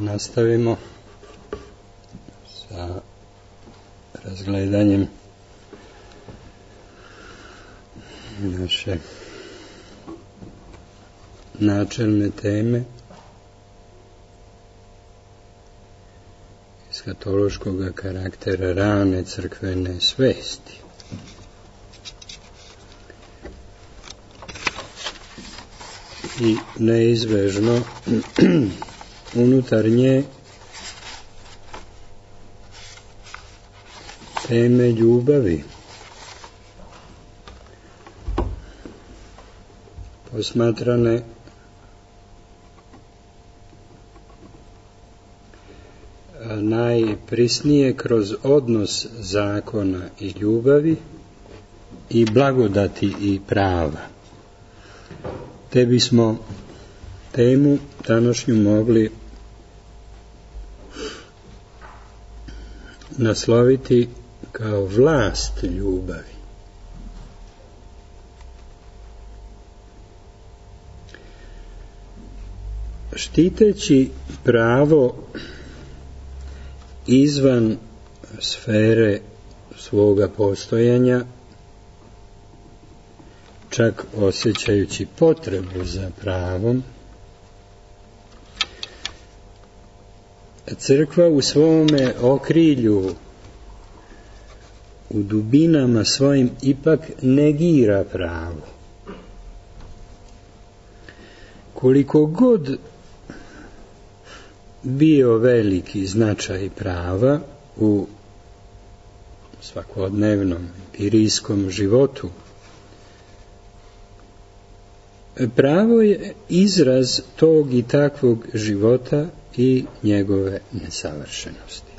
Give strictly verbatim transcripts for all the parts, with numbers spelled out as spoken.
nastavimo sa razgledanjem naše načelne teme eskatološkog karaktera rane crkvene svesti. I neizbežno unutar nje teme ljubavi posmatrane najprisnije kroz odnos zakona i ljubavi i blagodati i prava. Te bismo temu današnju mogli nasloviti kao vlast ljubavi. Štiteći pravo izvan sfere svoga postojanja, čak osjećajući potrebu za pravom, crkva u svome okrilju, u dubinama svojim, ipak negira pravo. Koliko god bio veliki značaj prava u svakodnevnom empirijskom životu, pravo je izraz tog i takvog života i njegove nesavršenosti.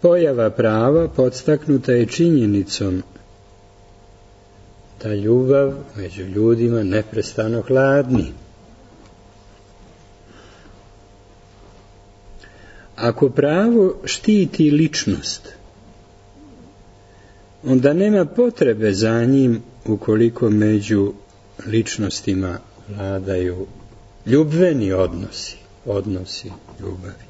Pojava prava podstaknuta je činjenicom da ljubav među ljudima neprestano hladni. Ako pravo štiti ličnost, onda nema potrebe za njim ukoliko među ličnostima vladaju ljubveni odnosi, odnosi ljubavi.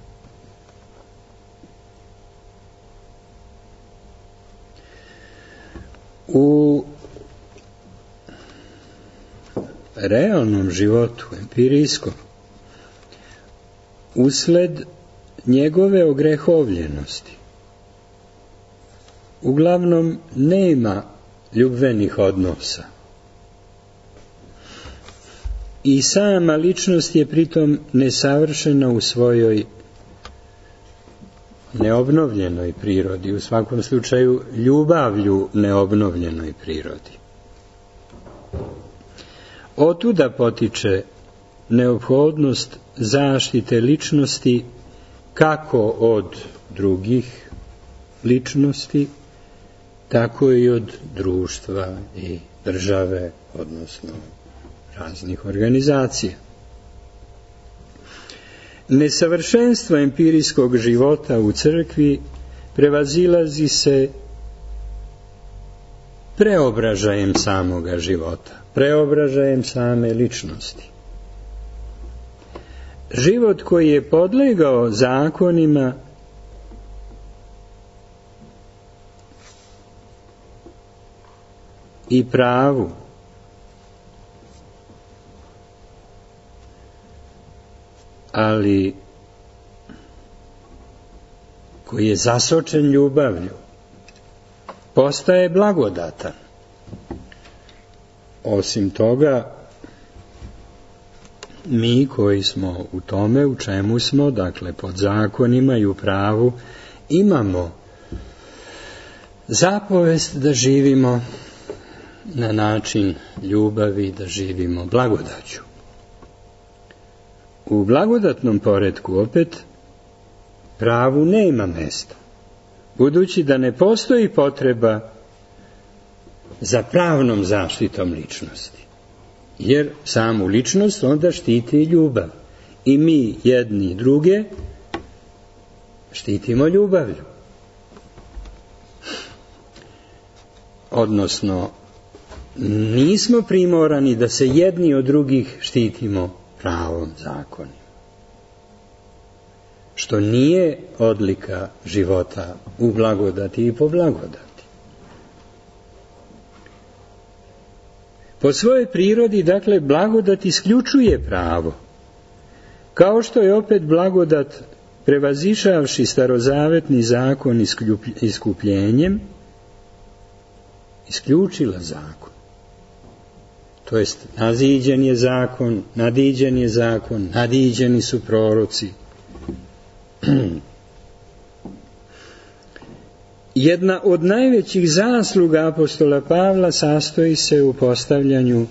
U realnom životu, empirijskom, usled njegove ogrehovljenosti, uglavnom nema ljubvenih odnosa. I sama ličnost je pritom nesavršena u svojoj neobnovljenoj prirodi, u svakom slučaju ljubavlju neobnovljenoj prirodi. Otuda potiče neophodnost zaštite ličnosti kako od drugih ličnosti, tako i od društva i države, odnosno raznih organizacija. Nesavršenstvo empirijskog života u crkvi prevazilazi se preobražajem samoga života, preobražajem same ličnosti. Život koji je podlegao zakonima i pravu, ali koji je zasočen ljubavlju, postaje blagodatan. Osim toga, mi koji smo u tome, u čemu smo, dakle pod zakonima i u pravu, imamo zapovest da živimo na način ljubavi, da živimo blagodaću. U blagodatnom poretku opet pravu nema mesta, budući da ne postoji potreba za pravnom zaštitom ličnosti, jer samu ličnost onda štiti ljubav i mi jedni druge štitimo ljubavlju. Odnosno, nismo primorani da se jedni od drugih štitimo pravom zakonima. što nije odlika života u blagodati i po blagodati. Po svojoj prirodi, dakle, blagodat isključuje pravo, kao što je opet blagodat, prevazišavši starozavetni zakon iskupljenjem, isključila zakon. To jest, naziđen je zakon, nadiđen je zakon, nadiđeni su proroci. Jedna od najvećih zasluga apostola Pavla sastoji se u postavljanju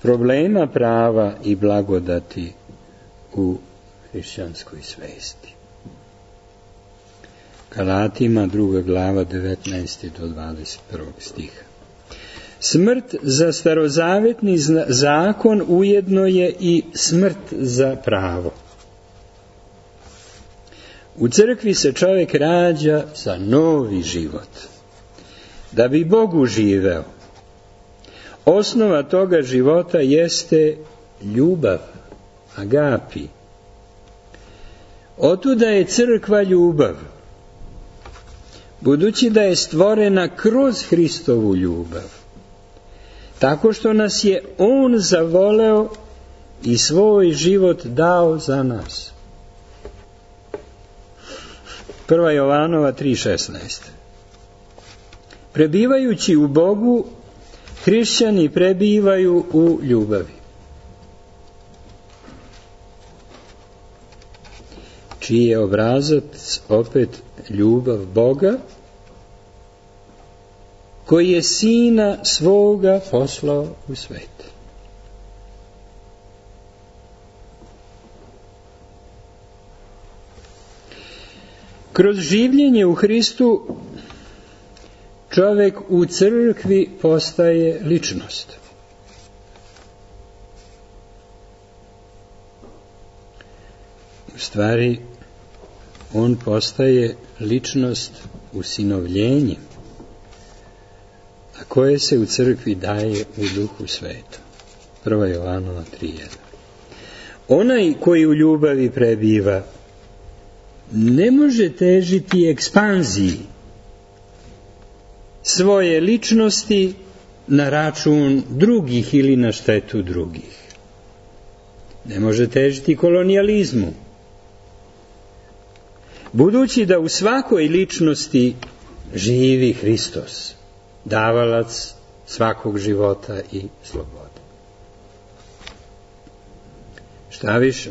problema prava i blagodati u hrišćanskoj svesti. Galatima, druga glava, devetnaesti do dvadeset prvog stiha. Smrt za starozavetni zakon ujedno je i smrt za pravo. U crkvi se čovjek rađa za novi život, da bi Bogu živeo. Osnova toga života jeste ljubav, agapi. Otuda je crkva ljubav, budući da je stvorena kroz Hristovu ljubav, tako što nas je On zavoleo i svoj život dao za nas. Prva Jovanova tri šesnaest. Prebivajući u Bogu, hrišćani prebivaju u ljubavi. Čiji je obrazac opet ljubav Boga, koji je Sina svoga poslao u svet. Kroz življenje u Hristu čovjek u crkvi postaje ličnost. U stvari, on postaje ličnost usinovljenjem, a koje se u crkvi daje u Duhu Svetom. Prva Jovanova tri jedan. Onaj koji u ljubavi prebiva ne može težiti ekspanziji svoje ličnosti na račun drugih ili na štetu drugih. Ne može težiti kolonijalizmu. Budući da u svakoj ličnosti živi Hristos, davalac svakog života i slobode. Šta više,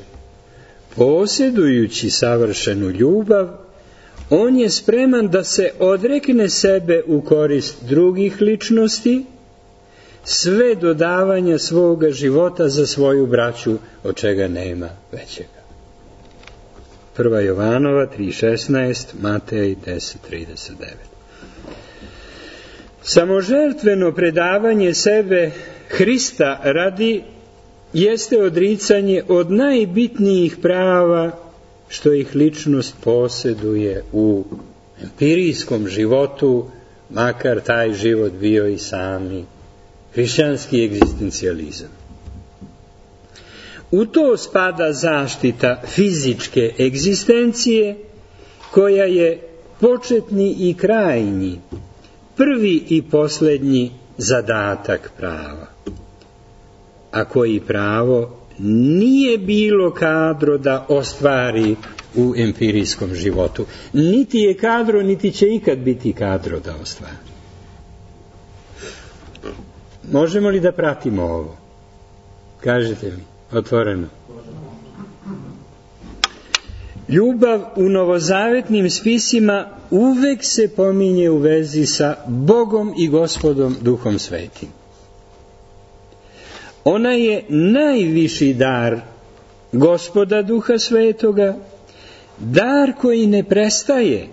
posjedujući savršenu ljubav, on je spreman da se odrekne sebe u korist drugih ličnosti, sve do davanja svoga života za svoju braću, od čega nema većega. Prva Jovanova tri šesnaest, Matej deset trideset devet. Samožrtveno predavanje sebe Hrista radi jeste odricanje od najbitnijih prava što ih ličnost posjeduje u empirijskom životu, makar taj život bio i sami hrišćanski egzistencijalizam. U to spada zaštita fizičke egzistencije, koja je početni i krajnji, prvi i posljednji zadatak prava, a koji pravo nije bilo kadro da ostvari u empirijskom životu. Niti je kadro, niti će ikad biti kadro da ostvari. Možemo li da pratimo ovo? Kažete mi, otvoreno. Ljubav u novozavetnim spisima uvek se pominje u vezi sa Bogom i Gospodom Duhom Svetim. Ona je najviši dar Gospoda Duha Svetoga, dar koji ne prestaje,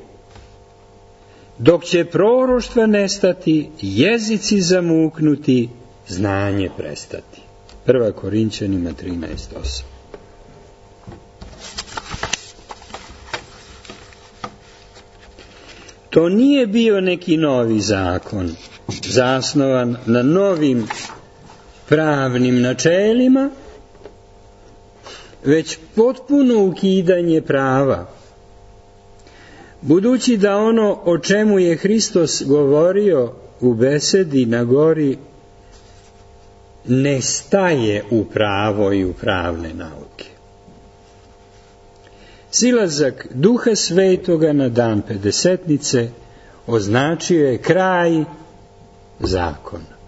dok će proroštva nestati, jezici zamuknuti, znanje prestati. Prva Korinćanima trinaest osam. To nije bio neki novi zakon, zasnovan na novim pravnim načelima, već potpuno ukidanje prava Budući da ono o čemu je Hristos govorio u besedi na gori ne staje u pravo i u pravne nauke. Silazak Duha Svetoga na dan Pedesetnice označio je kraj zakona.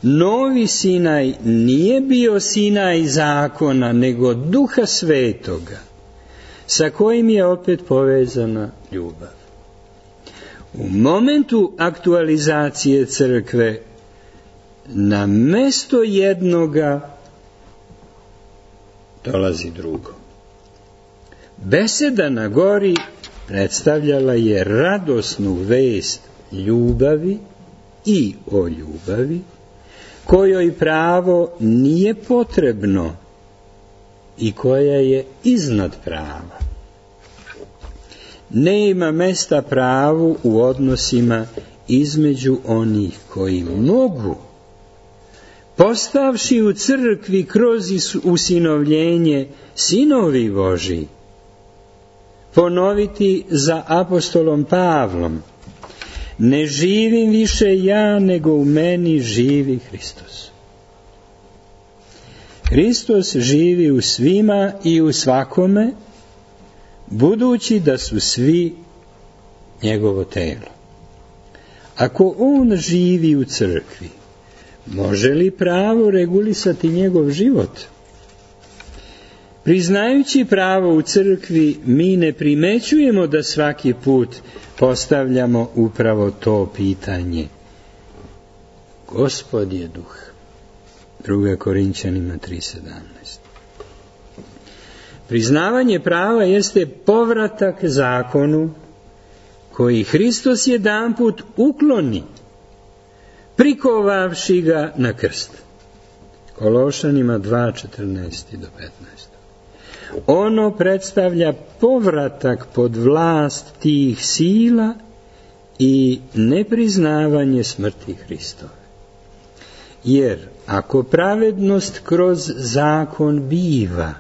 Novi Sinaj nije bio Sinaj zakona, nego Duha Svetoga, sa kojim je opet povezana ljubav. U momentu aktualizacije crkve na mesto jednoga dolazi drugo. Beseda na gori predstavljala je radosnu vest ljubavi i o ljubavi, kojoj pravo nije potrebno i koja je iznad prava. Nema mesta pravu u odnosima između onih koji mogu, postavši u crkvi kroz usinovljenje sinovi Božji, ponoviti za apostolom Pavlom: ne živim više ja, nego u meni živi Hristos. Hristos živi u svima i u svakome, budući da su svi njegovo telo. Ako on živi u crkvi, može li pravo regulisati njegov život? Priznajući pravo u crkvi, mi ne primećujemo da svaki put postavljamo upravo to pitanje. Gospod je duh. druga Korinćanima tri sedamnaest. Priznavanje prava jeste povratak zakonu koji Hristos jedanput ukloni, prikovavši ga na krst. Kološanima dva četrnaest do petnaest. Ono predstavlja povratak pod vlast tih sila i nepriznavanje smrti Hristove. Jer ako pravednost kroz zakon biva,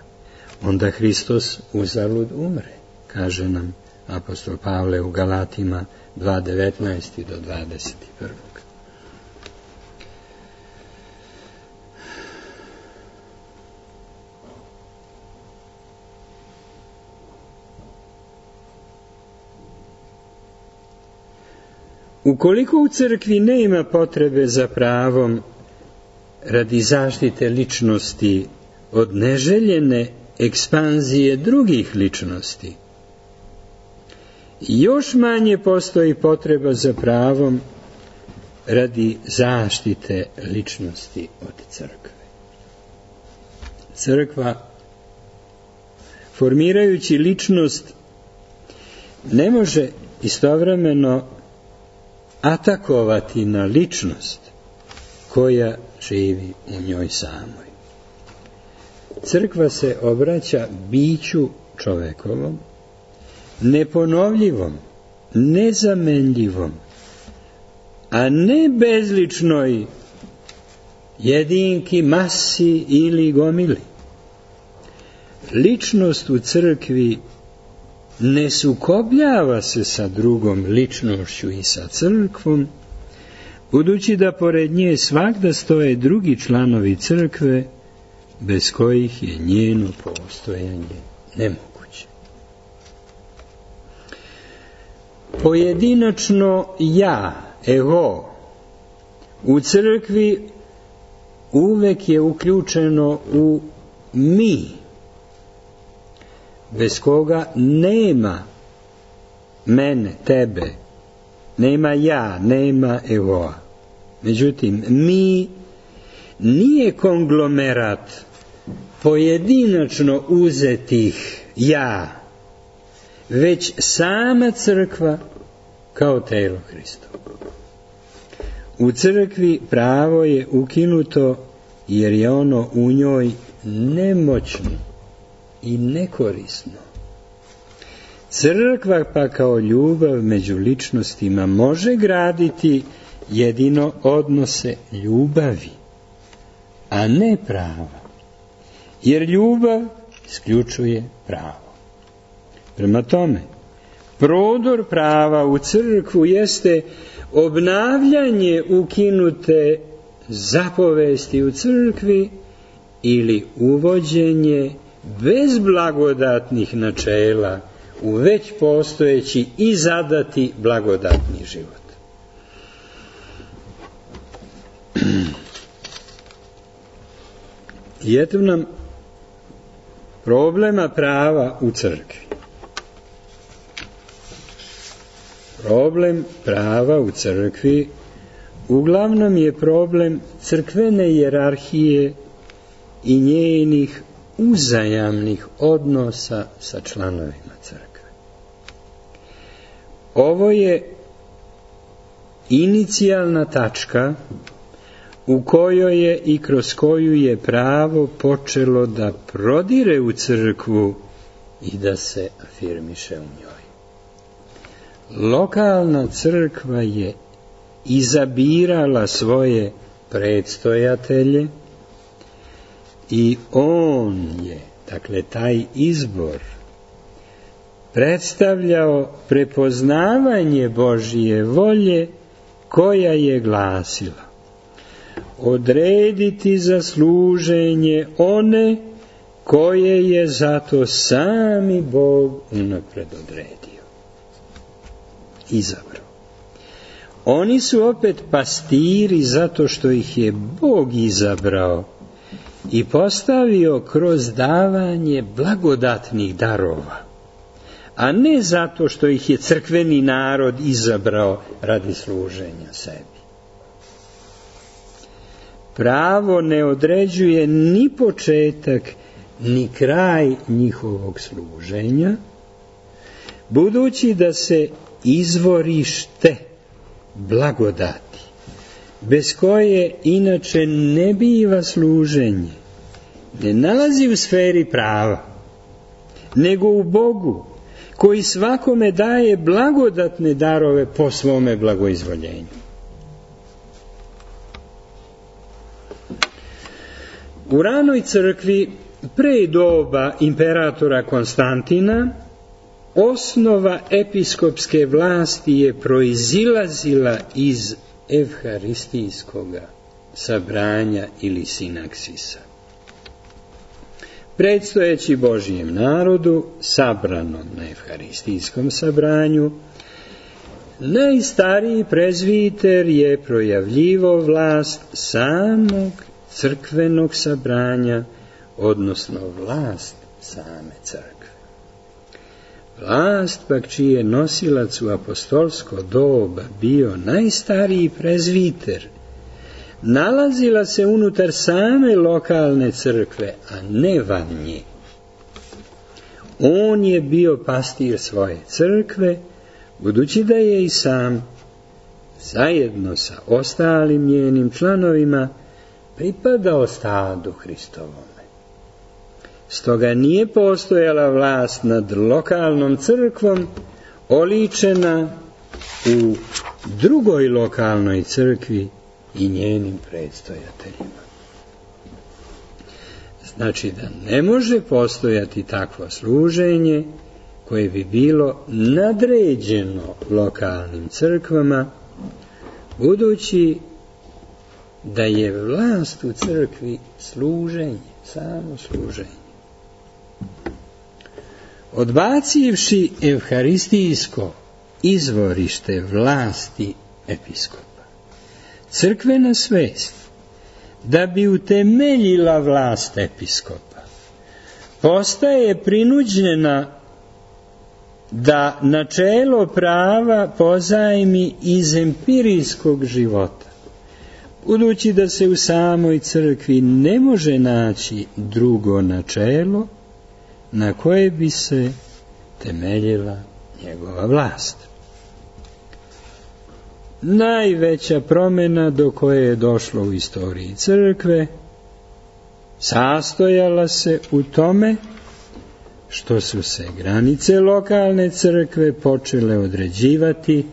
onda Hristos uzalud umre, kaže nam apostol Pavle u Galatima dva devetnaest do dvadeset jedan. Ukoliko u crkvi nema potrebe za pravom radi zaštite ličnosti od neželjene ekspanzije drugih ličnosti, još manje postoji potreba za pravom radi zaštite ličnosti od crkve. Crkva, formirajući ličnost, ne može istovremeno atakovati na ličnost koja živi u njoj samoj. Crkva se obraća biću čovekovom, neponovljivom, nezamenljivom, a ne bezličnoj jedinki, masi ili gomili. Ličnost u crkvi ne sukobljava se sa drugom ličnošću i sa crkvom, budući da pored nje svagda stoje drugi članovi crkve, bez kojih je njeno postojanje nemoguće. Pojedinačno ja, ego, u crkvi uvek je uključeno u mi, bez koga nema mene, tebe, nema ja, nema egoa. Međutim, mi nije konglomerat pojedinačno uzetih ja, već sama crkva kao telo Hristovo. U crkvi pravo je ukinuto jer je ono u njoj nemoćno i nekorisno. Crkva pa kao ljubav među ličnostima može graditi jedino odnose ljubavi, a ne prava, jer ljubav isključuje pravo. Prema tome, prodor prava u crkvu jeste obnavljanje ukinute zapovesti u crkvi ili uvođenje bez blagodatnih načela u već postojeći i zadati blagodatni život. I eto nam problema prava u crkvi. Problem prava u crkvi uglavnom je problem crkvene hijerarhije i njenih uzajamnih odnosa sa članovima crkve. Ovo je inicijalna tačka u kojoj je i kroz koju je pravo počelo da prodire u crkvu i da se afirmiše u njoj. Lokalna crkva je izabirala svoje predstojatelje i on je, dakle taj izbor, predstavljao prepoznavanje Božije volje koja je glasila: odrediti za služenje one koje je zato sami Bog unapred odredio, izabrao. Oni su opet pastiri zato što ih je Bog izabrao i postavio kroz davanje blagodatnih darova, a ne zato što ih je crkveni narod izabrao radi služenja sebi. Pravo ne određuje ni početak ni kraj njihovog služenja, budući da se izvorište blagodati, bez koje inače ne biva služenje, ne nalazi u sferi prava, nego u Bogu, koji svakome daje blagodatne darove po svome blagoizvoljenju. U ranoj crkvi, pre doba imperatora Konstantina, osnova episkopske vlasti je proizilazila iz evharistijskog sabranja ili sinaksisa. Predstojeći Božijem narodu, sabranom na evharistijskom sabranju, najstariji prezviter je projavljivo vlast samog crkvenog sabranja, odnosno vlast same crkve. Vlast pak čiji je nosilac u apostolsko doba bio najstariji prezviter, nalazila se unutar same lokalne crkve, a ne van nje. On je bio pastir svoje crkve, budući da je i sam, zajedno sa ostalim njenim članovima, pripadao stadu Hristovome. Stoga nije postojala vlast nad lokalnom crkvom oličena u drugoj lokalnoj crkvi i njenim predstojateljima. Znači da ne može postojati takvo služenje koje bi bilo nadređeno lokalnim crkvama, budući da je vlast u crkvi služenje, samo služenje. Odbacivši evharistijsko izvorište vlasti episkopa, crkvena svest, da bi utemeljila vlast episkopa, postaje prinuđena da načelo prava pozajmi iz empirijskog života, budući da se u samoj crkvi ne može naći drugo načelo na koje bi se temeljila njegova vlast. Najveća promjena do koje je došlo u istoriji crkve sastojala se u tome što su se granice lokalne crkve počele određivati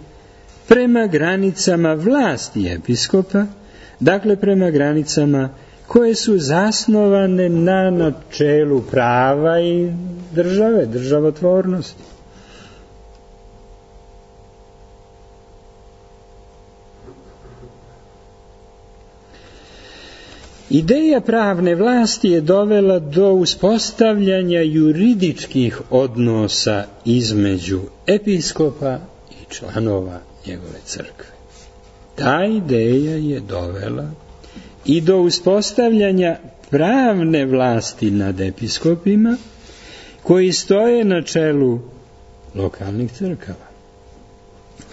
prema granicama vlasti episkopa, dakle prema granicama koje su zasnovane na načelu prava i države, državotvornosti. Ideja pravne vlasti je dovela do uspostavljanja juridičkih odnosa između episkopa i članova njegove crkve. Ta ideja je dovela i do uspostavljanja pravne vlasti nad episkopima koji stoje na čelu lokalnih crkava.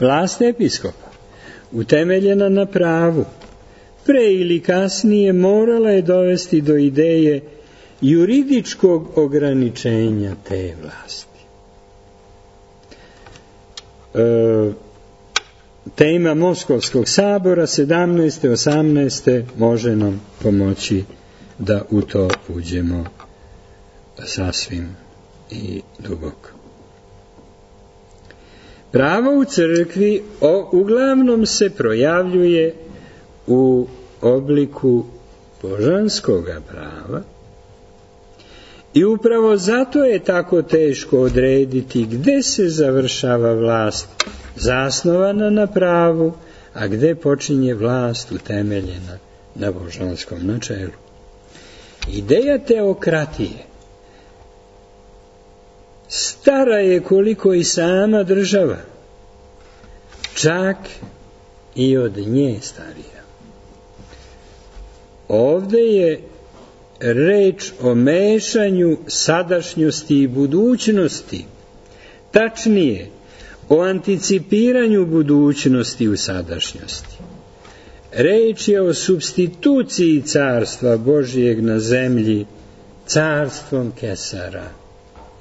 Vlast episkopa, utemeljena na pravu, pre ili kasnije morala je dovesti do ideje juridičkog ograničenja te vlasti. E, tema Moskovskog sabora sedamnaeste osamnaeste može nam pomoći da u to uđemo sasvim i duboko. Pravo u crkvi o, uglavnom se projavljuje u obliku božanskoga prava i upravo zato je tako teško odrediti gde se završava vlast zasnovana na pravu, a gde počinje vlast utemeljena na božanskom načelu. Ideja teokratije stara je koliko i sama država, čak i od nje starija. Ovde je reč o mešanju sadašnjosti i budućnosti, tačnije o anticipiranju budućnosti u sadašnjosti. Reč je o supstituciji carstva Božijeg na zemlji carstvom Kesara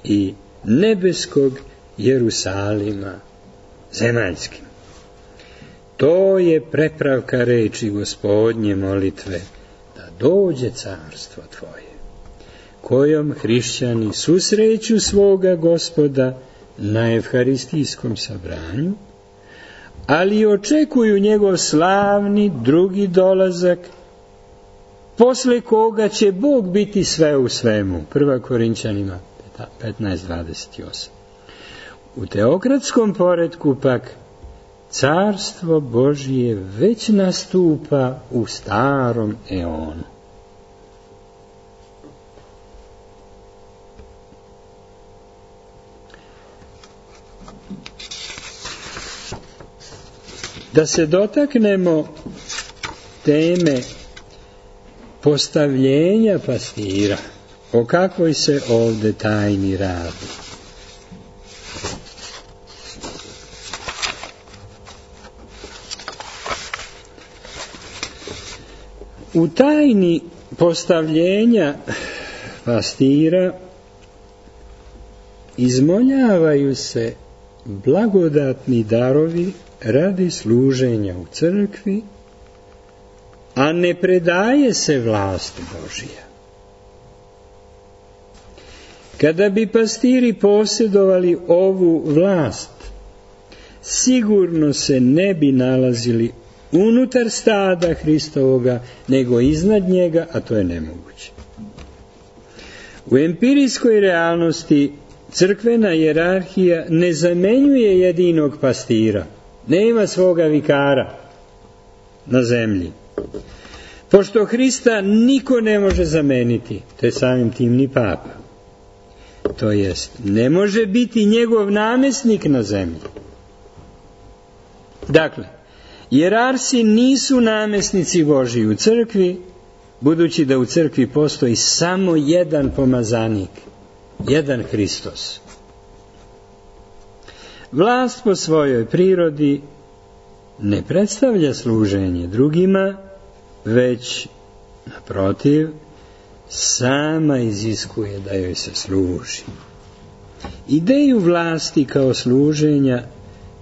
i nebeskog Jerusalima zemaljskim. To je prepravka reči Gospodnje molitve, da dođe carstvo Tvoje, kojom hrišćani susreću svoga Gospoda na evharistijskom sabranju, ali očekuju njegov slavni drugi dolazak, posle koga će Bog biti sve u svemu. Prva Korinćanima petnaest dvadeset osam. U teokratskom poretku pak carstvo Božije već nastupa u starom eonu. Da se dotaknemo teme postavljenja pastira, o kakvoj se ovde tajni radi. U tajni postavljenja pastira izmoljavaju se blagodatni darovi radi služenja u crkvi, a ne predaje se vlast Božija. Kada bi pastiri posjedovali ovu vlast, sigurno se ne bi nalazili unutar stada Hristovoga, nego iznad njega, a to je nemoguće. U empirijskoj realnosti crkvena hijerarhija ne zamenjuje jedinog pastira, nema svoga vikara na zemlji. Pošto Hrista niko ne može zameniti, te samim tim ni papa, to jest ne može biti njegov namjesnik na zemlji. Dakle, hijerarsi nisu namjesnici Božji u crkvi, budući da u crkvi postoji samo jedan pomazanik, jedan Hristos. Vlast po svojoj prirodi ne predstavlja služenje drugima, već, naprotiv, sama iziskuje da joj se služi. Ideju vlasti kao služenja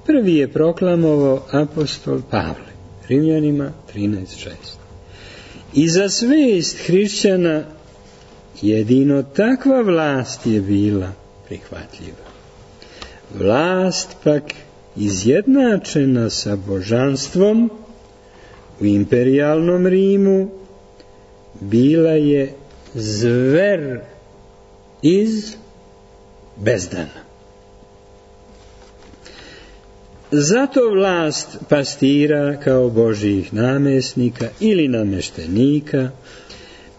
prvi je proklamovao apostol Pavle, Rimljanima trinaest šest. I za svest hrišćana jedino takva vlast je bila prihvatljiva. Vlast pak izjednačena sa božanstvom u imperijalnom Rimu bila je zver iz bezdana. Zato vlast pastira kao Božjih namjesnika ili nameštenika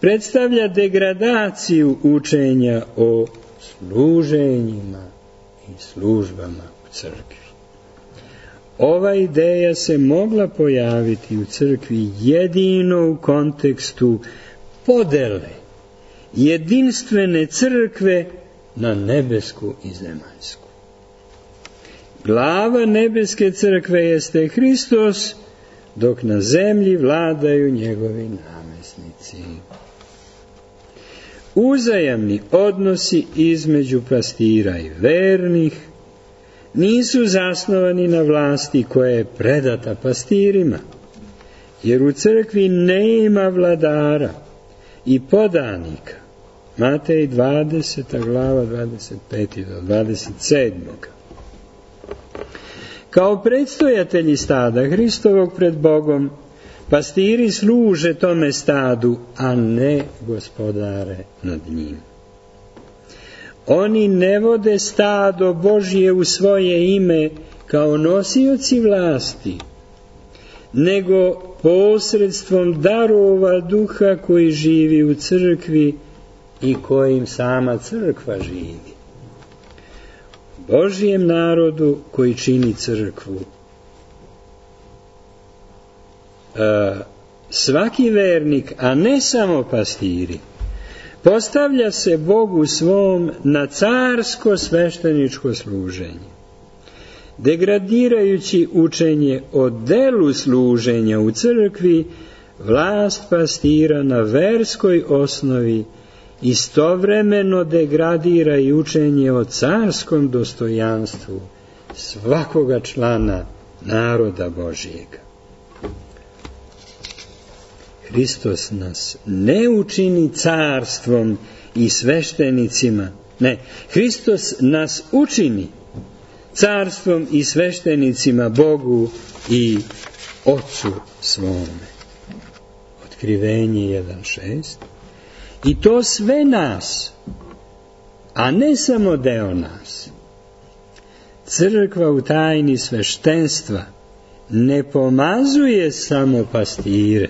predstavlja degradaciju učenja o služenjima i službama u crkvi. Ova ideja se mogla pojaviti u crkvi jedino u kontekstu podele jedinstvene crkve na nebesku i zemaljsku. Glava nebeske crkve jeste Hristos, dok na zemlji vladaju njegovi namesnici. Uzajamni odnosi između pastira i vernih nisu zasnovani na vlasti koja je predata pastirima, jer u crkvi nema vladara i podanika. Matej dvadeseta glava dvadeset peti do dvadeset sedmi. Kao predstojatelji stada Hristovog pred Bogom, pastiri služe tome stadu, a ne gospodare nad njim. Oni ne vode stado Božje u svoje ime kao nosioci vlasti, nego posredstvom darova duha koji živi u crkvi i kojim sama crkva živi. Božjem narodu koji čini crkvu. E, svaki vernik, a ne samo pastiri, postavlja se Bogu svom na carsko svešteničko služenje. Degradirajući učenje o delu služenja u crkvi, vlast pastira na verskoj osnovi istovremeno degradira i učenje o carskom dostojanstvu svakoga člana naroda Božjega. Hristos nas ne učini carstvom i sveštenicima, ne, Hristos nas učini carstvom i sveštenicima Bogu i Otcu svome. Otkrivenje jedan šest. I to sve nas, a ne samo deo nas. Crkva u tajni sveštenstva ne pomazuje samo pastire,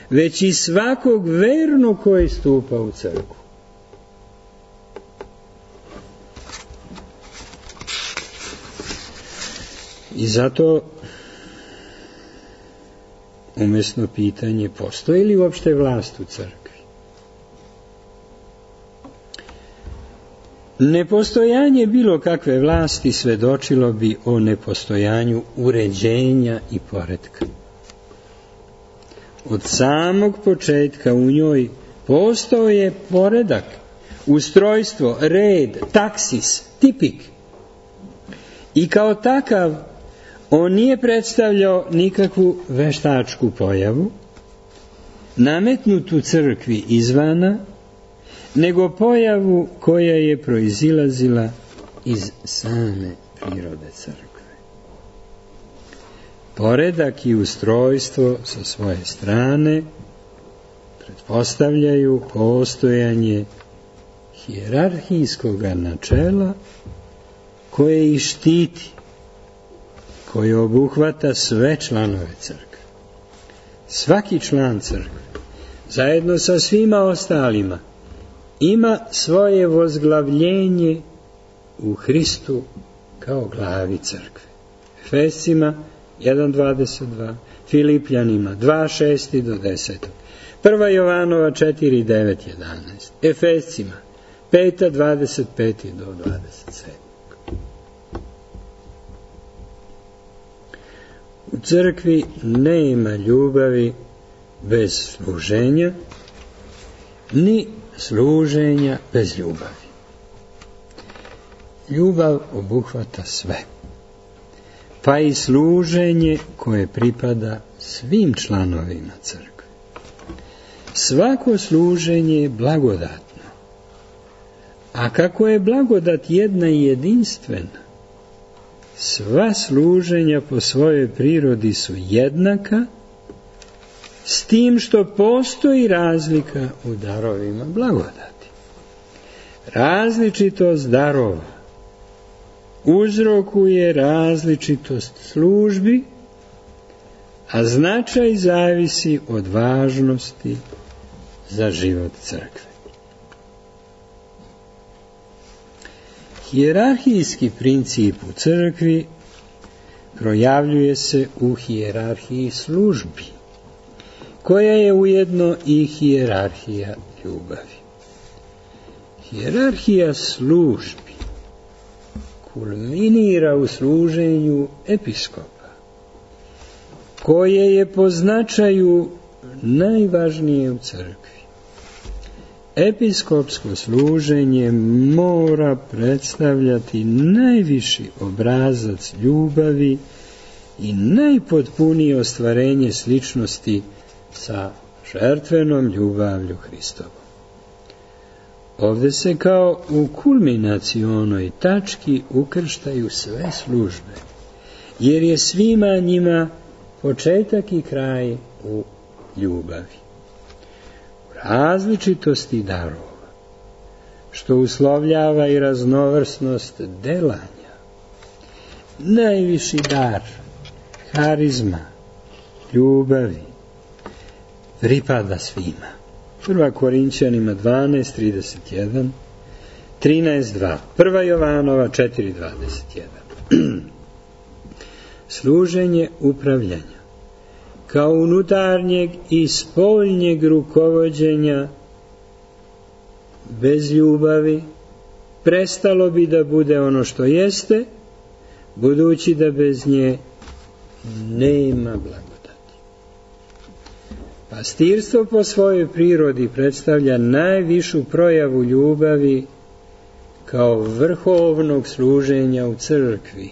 već i svakog vernog koji stupa u crkvu. I zato umjesno pitanje, postoji li uopšte vlast u crkvi? Nepostojanje bilo kakve vlasti svedočilo bi o nepostojanju uređenja i poretka. Od samog početka u njoj postao je poredak, ustrojstvo, red, taksis, tipik. I kao takav on nije predstavljao nikakvu veštačku pojavu, nametnutu crkvi izvana, nego pojavu koja je proizilazila iz same prirode crkve. Poredak i ustrojstvo sa svoje strane pretpostavljaju postojanje hijerarhijskog načela koje ih štiti, koje obuhvata sve članove crkve. Svaki član crkve, zajedno sa svima ostalima, ima svoje vozglavljenje u Hristu kao glavi crkve. Efescima jedan dvadeset dva, Filipljanima dva šest do deset, Prva Jovanova četiri devet jedanaest, Efescima pet dvadeset pet do dvadeset sedam. U crkvi nema ljubavi bez služenja, ni služenja bez ljubavi. Ljubav obuhvata sve, pa i služenje koje pripada svim članovima crkve. Svako služenje je blagodatno, a kako je blagodat jedna i jedinstvena, sva služenja po svojoj prirodi su jednaka, s tim što postoji razlika u darovima blagodati. Različitost darova uzrokuje različitost službi, a značaj zavisi od važnosti za život crkve. Hijerarhijski princip u crkvi projavljuje se u hijerarhiji službi, koja je ujedno i hijerarhija ljubavi. Hijerarhija službi kulminira u služenju episkopa, koje je po značaju najvažnije u crkvi. Episkopsko služenje mora predstavljati najviši obrazac ljubavi i najpotpunije ostvarenje sličnosti sa žrtvenom ljubavlju Hristovom. Ovdje se kao u kulminacionoj tački ukrštaju sve službe, jer je svima njima početak i kraj u ljubavi. U različitosti darova, što uslovljava i raznovrsnost delanja, najviši dar, harizma, ljubavi, pripada svima. Prva Korinćanima dvanaest trideset jedan, trinaest dva, Prva Jovanova četiri dvadeset jedan. Služenje upravljanja kao unutarnjeg i spoljnjeg rukovođenja bez ljubavi prestalo bi da bude ono što jeste, budući da bez nje nema blagodati. Pastirstvo po svojoj prirodi predstavlja najvišu projavu ljubavi kao vrhovnog služenja u crkvi.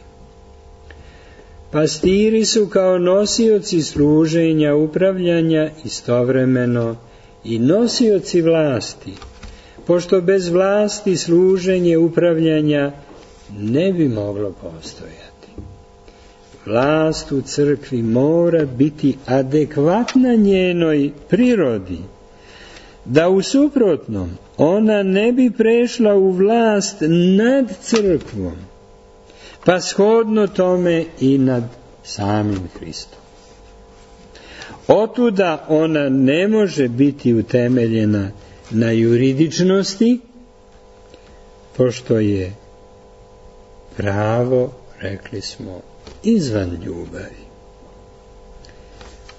Pastiri su kao nosioci služenja, upravljanja istovremeno i nosioci vlasti, pošto bez vlasti služenje upravljanja ne bi moglo postojati. Vlast u crkvi mora biti adekvatna njenoj prirodi, da u suprotnom ona ne bi prešla u vlast nad crkvom, pa shodno tome i nad samim Hristom. Otuda ona ne može biti utemeljena na juridičnosti, pošto je pravo, rekli smo, izvan ljubavi.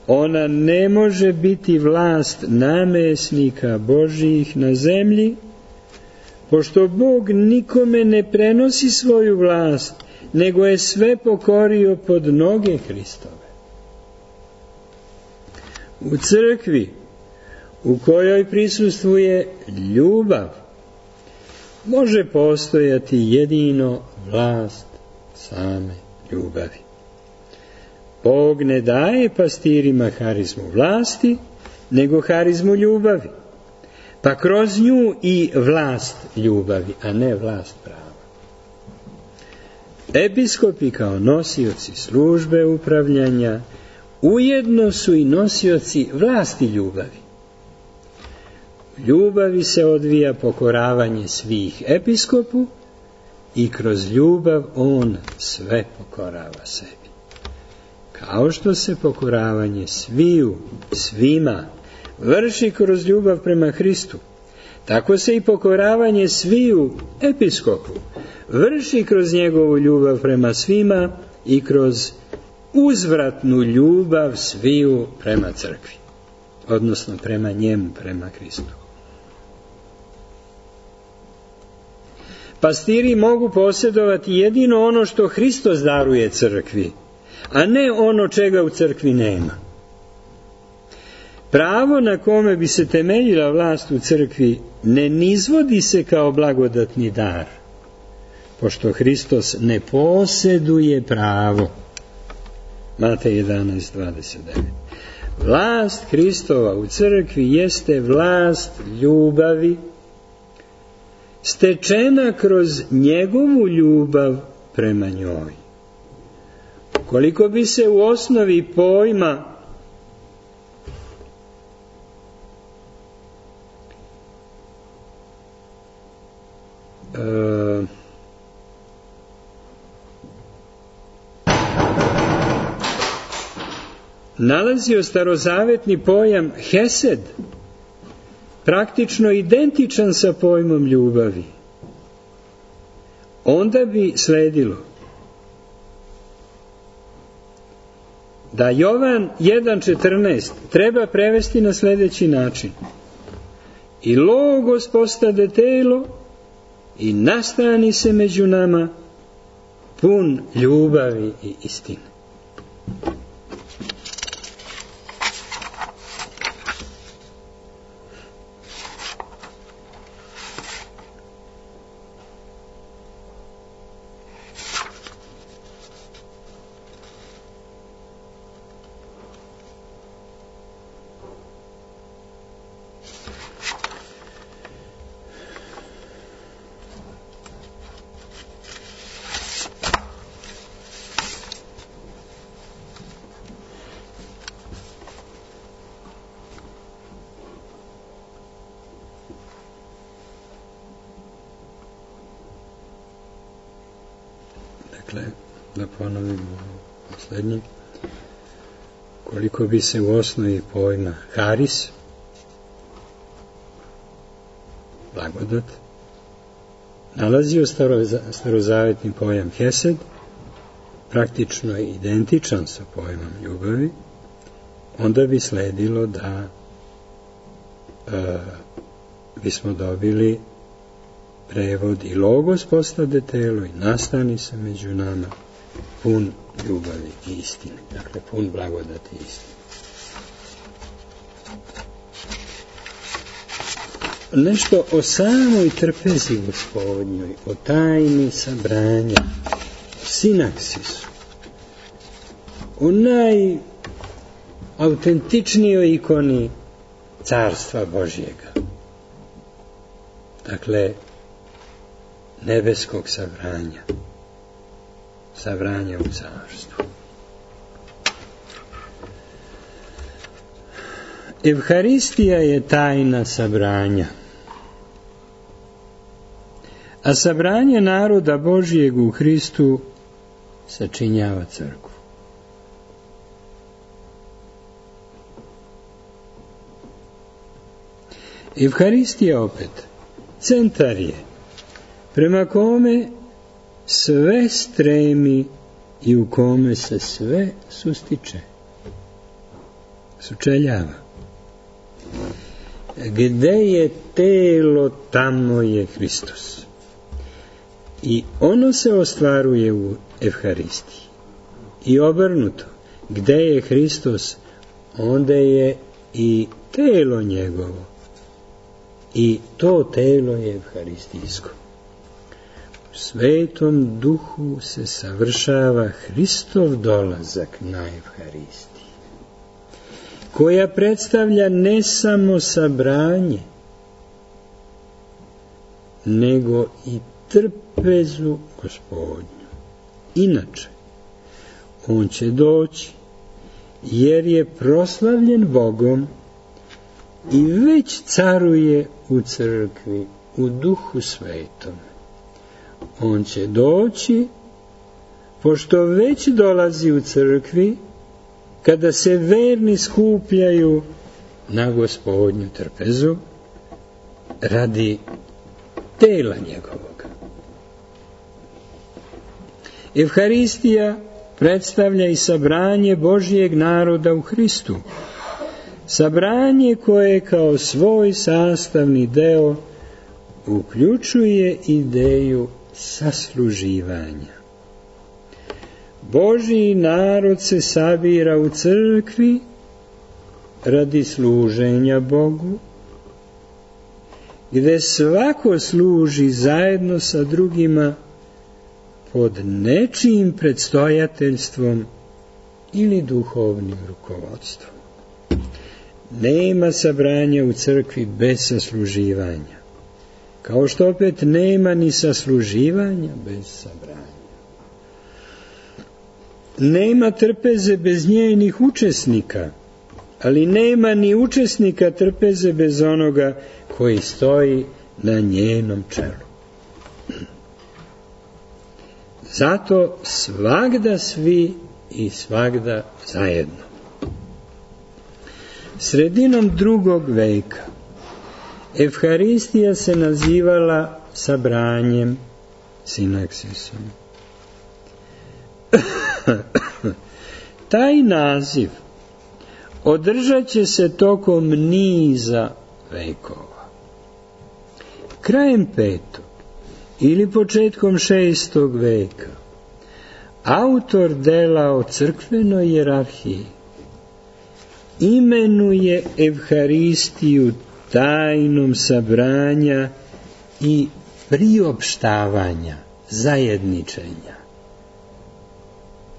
Ona ne može biti vlast namjesnika Božjih na zemlji, pošto Bog nikome ne prenosi svoju vlast, nego je sve pokorio pod noge Hristove. U crkvi, u kojoj prisustvuje ljubav, može postojati jedino vlast same ljubavi. Bog ne daje pastirima harizmu vlasti, nego harizmu ljubavi, pa kroz nju i vlast ljubavi, a ne vlast prava. Episkopi kao nosioci službe upravljanja ujedno su i nosioci vlasti ljubavi. U ljubavi se odvija pokoravanje svih episkopu i kroz ljubav on sve pokorava sebi. Kao što se pokoravanje sviju, svima, vrši kroz ljubav prema Hristu, tako se i pokoravanje sviju episkopu vrši kroz njegovu ljubav prema svima i kroz uzvratnu ljubav sviju prema crkvi, odnosno prema njemu, prema Hristu. Pastiri mogu posjedovati jedino ono što Hristos daruje crkvi, a ne ono čega u crkvi nema. Pravo na kome bi se temeljila vlast u crkvi ne nizvodi se kao blagodatni dar, pošto Hristos ne posjeduje pravo. Matej jedanaest dvadeset devet. Vlast Hristova u crkvi jeste vlast ljubavi, stečena kroz njegovu ljubav prema njoj. Koliko bi se u osnovi pojma e, nalazio starozavetni pojam hesed, praktično identičan sa pojmom ljubavi, onda bi sledilo da Jovan jedan četrnaest treba prevesti na sljedeći način: i logos postade telo i nastani se među nama, pun ljubavi i istine. Dakle, da ponovimo posljednji. Koliko bi se u osnovi pojma haris, blagodat, nalazio starozavetni pojam hesed, praktično je identičan sa pojmom ljubavi, onda bi sledilo da e, bismo dobili prevod i logos postade telo i nastani se među nama, pun ljubavi i istine. Dakle, pun blagodati i istine. Nešto o samoj trpezi Gospodnjoj, o tajni sabranja, o sinaksisu, o najautentičnijoj ikoni Carstva Božjega. Dakle, nebeskog sabranja, sabranja u carstvu. Evharistija je tajna sabranja, a sabranje naroda Božjeg u Hristu sačinjava crkvu. Evharistija opet centar je prema kome sve stremi i u kome se sve sustiče, sučeljava. Gde je telo, tamo je Hristos. I ono se ostvaruje u Evharistiji. I obrnuto, gde je Hristos, onda je i telo njegovo. I to telo je evharistijsko. U Svetom Duhu se savršava Hristov dolazak na Evharistiji, koja predstavlja ne samo sabranje, nego i trpezu Gospodnju. Inače, on će doći, jer je proslavljen Bogom i već caruje u crkvi, u Duhu Svetom. On će doći, pošto već dolazi u crkvi, kada se verni skupljaju na Gospodnju trpezu radi tela njegovog. Evharistija predstavlja i sabranje Božjeg naroda u Hristu. Sabranje koje kao svoj sastavni deo uključuje ideju sasluživanja. Božji narod se sabira u crkvi radi služenja Bogu, gde svako služi zajedno sa drugima pod nečijim predstojateljstvom ili duhovnim rukovodstvom. Nema sabranja u crkvi bez sasluživanja, kao što opet nema ni sasluživanja bez sabranja. Nema trpeze bez njenih učesnika, ali nema ni učesnika trpeze bez onoga koji stoji na njenom čelu. Zato svagda svi i svagda zajedno. Sredinom drugog veka Evharistija se nazivala sabranjem, sinaksisom. Taj naziv održat će se tokom niza vekova. Krajem petog ili početkom šestog veka autor dela o crkvenoj hijerarhiji imenuje Evharistiju tajnom sabranja i priopštavanja, zajedničenja,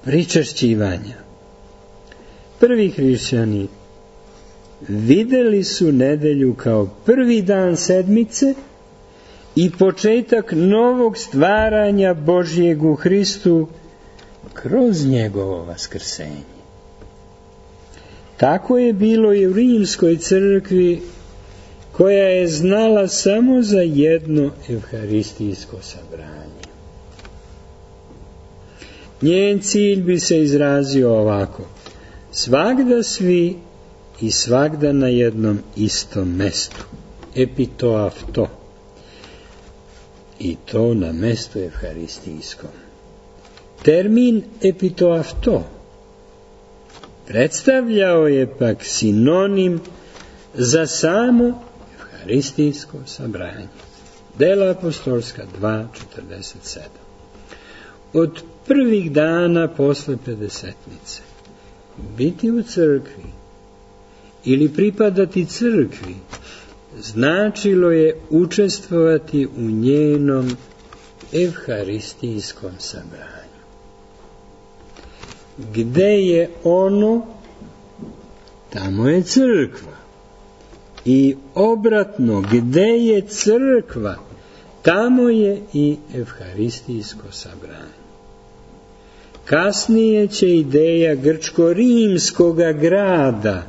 pričešćivanja. Prvi hrišćani videli su nedelju kao prvi dan sedmice i početak novog stvaranja Božjeg u Hristu kroz njegovo vaskrsenje. Tako je bilo i u rimskoj crkvi, koja je znala samo za jedno evharistijsko sabranje. Njen cilj bi se izrazio ovako: svagda svi i svagda na jednom istom mestu, epitoafto, i to na mestu evharistijskom. Termin epitoafto predstavljao je pak sinonim za samo evharistijsko sabranje. Dela apostolska dva četrdeset sedam. Od prvih dana posle pedesetnice biti u crkvi ili pripadati crkvi značilo je učestvovati u njenom evharistijskom sabranju. Gde je ono, tamo je crkva. I obratno, gde je crkva, tamo je i evharistijsko sabranje. Kasnije će ideja grčko-rimskoga grada,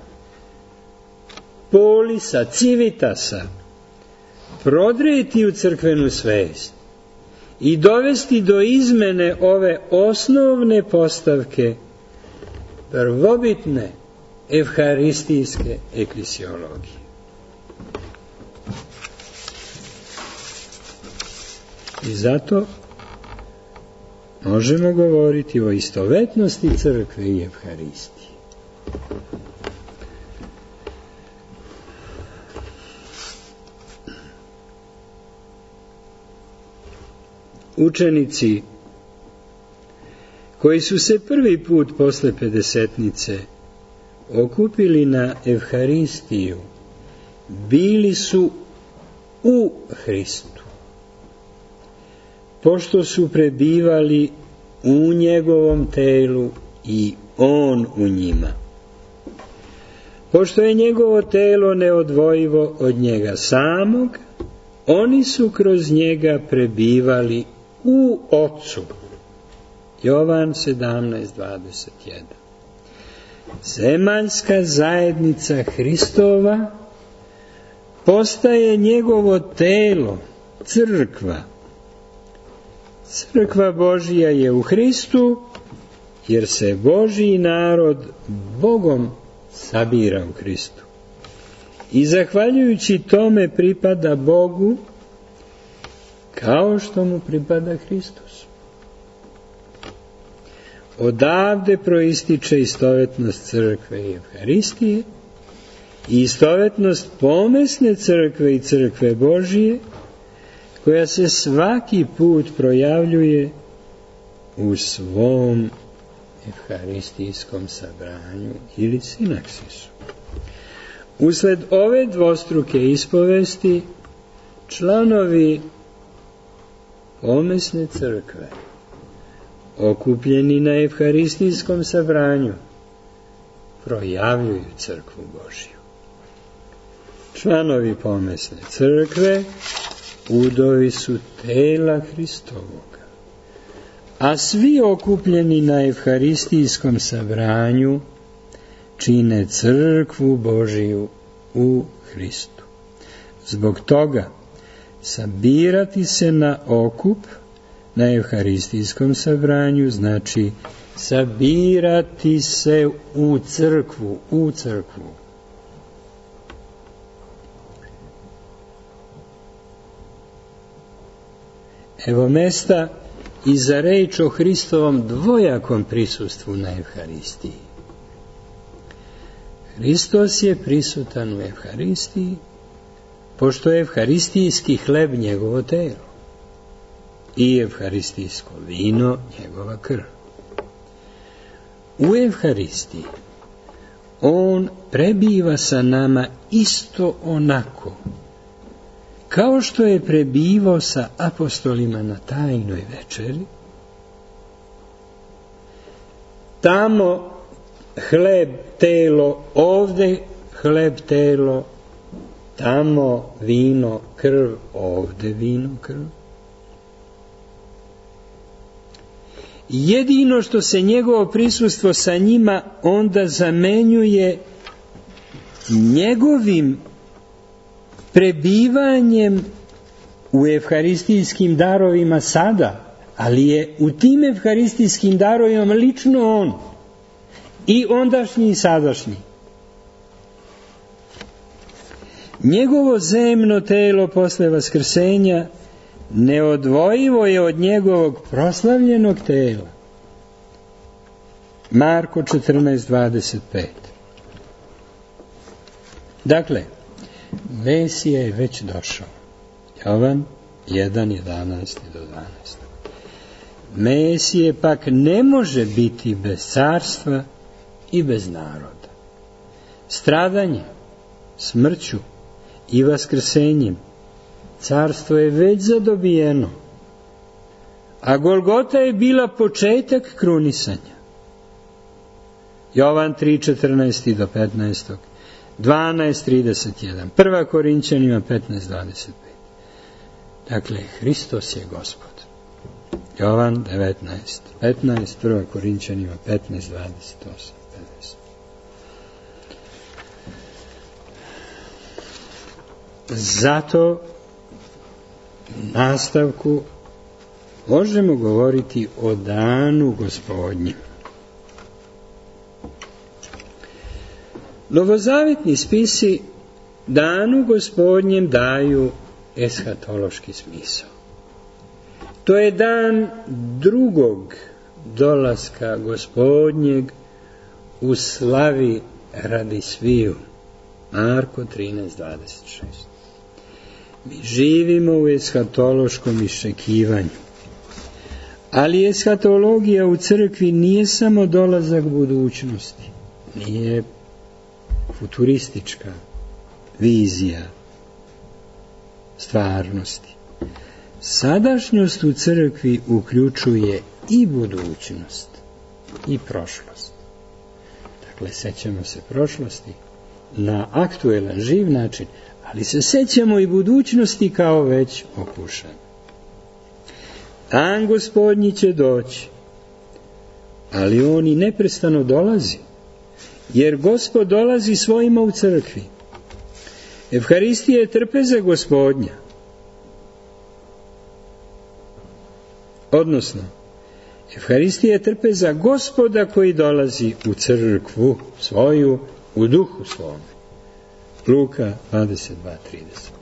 polisa, civitasa, prodreti u crkvenu svest i dovesti do izmene ove osnovne postavke prvobitne evharistijske eklesiologije. I zato možemo govoriti o istovetnosti crkve i evharistije. Učenici koji su se prvi put posle pedesetnice okupili na evharistiju bili su u Hristu, pošto su prebivali u njegovom telu i on u njima. Pošto je njegovo telo neodvojivo od njega samog, oni su kroz njega prebivali u Otcu. Jovan sedamnaest dvadeset jedan. Zemaljska zajednica Hristova postaje njegovo telo, crkva. Crkva Božija je u Hristu, jer se Božji narod Bogom sabira u Hristu. I zahvaljujući tome pripada Bogu, kao što mu pripada Hristos. Odavde proističe istovetnost crkve i evharistije i istovetnost pomesne crkve i crkve Božije, koja se svaki put projavljuje u svom evharistijskom sabranju ili sinaksisu. Usled ove dvostruke ispovesti, članovi pomesne crkve, okupljeni na evharistijskom sabranju, projavljuju crkvu Božju. Članovi pomesne crkve udovi su tela Hristovoga, a svi okupljeni na evharistijskom sabranju čine crkvu Božiju u Hristu. Zbog toga sabirati se na okup na evharistijskom sabranju znači sabirati se u crkvu, u crkvu. Evo mesta i za reč o Hristovom dvojakom prisustvu na Evharistiji. Hristos je prisutan u Evharistiji, pošto je evharistijski hleb njegovo telo i evharistijsko vino njegova krv. U Evharistiji on prebiva sa nama isto onako kao što je prebivao sa apostolima na tajnoj večeri. Tamo hleb, telo, ovde hleb, telo, tamo vino, krv, ovde vino, krv. Jedino što se njegovo prisustvo sa njima onda zamenjuje njegovim prebivanjem u evharistijskim darovima sada, ali je u tim evharistijskim darovima lično on, i ondašnji i sadašnji. Njegovo zemno telo posle vaskrsenja neodvojivo je od njegovog proslavljenog tela. Marko četrnaest dvadeset pet. Dakle, Mesija je već došao. Jovan jedan jedanaest do dvanaest. Mesije pak ne može biti bez carstva i bez naroda. Stradanjem, smrću i vaskrsenjem carstvo je već zadobijeno, a Golgota je bila početak krunisanja. Jovan tri četrnaest do petnaest, dvanaest trideset jedan, prva Korinćanima petnaest dvadeset pet. Dakle, Hristos je Gospod. Jovan devetnaest petnaest, prva Korinćanima petnaest dvadeset osam pedeset. Zato u nastavku možemo govoriti o danu Gospodnjem. Novozavetni spisi danu Gospodnjem daju eshatološki smisao. To je dan drugog dolaska Gospodnjeg u slavi radi sviju. Marko trinaest dvadeset šest. Mi živimo u eshatološkom iščekivanju. Ali eshatologija u crkvi nije samo dolazak budućnosti, nije futuristička vizija stvarnosti. Sadašnjost u crkvi uključuje i budućnost i prošlost. Dakle, sećamo se prošlosti na aktuelan, živ način, ali se sećamo i budućnosti kao već okušan. Dan Gospodnji će doći, ali on i neprestano dolazi, jer Gospod dolazi svojima u crkvi. Evharistija je trpeza Gospodnja. Odnosno, Evharistija je trpeza Gospoda koji dolazi u crkvu svoju, u duhu svome. Luka dvadeset dva trideset.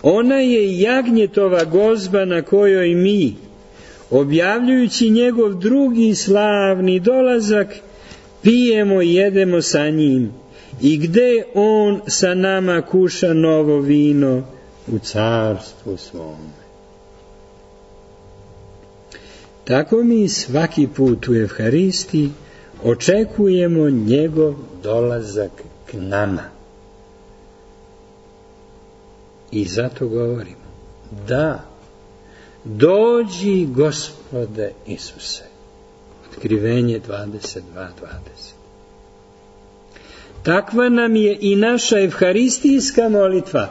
Ona je jagnjetova gozba na kojoj mi, objavljujući njegov drugi slavni dolazak, pijemo i jedemo sa njim, i gde on sa nama kuša novo vino u carstvu svome. Tako mi svaki put u Evharistiji očekujemo njegov dolazak k nama. I zato govorimo, da, dođi Gospode Isuse. Otkrivenje dvadeset dva dvadeset. Takva nam je i naša evharistijska molitva.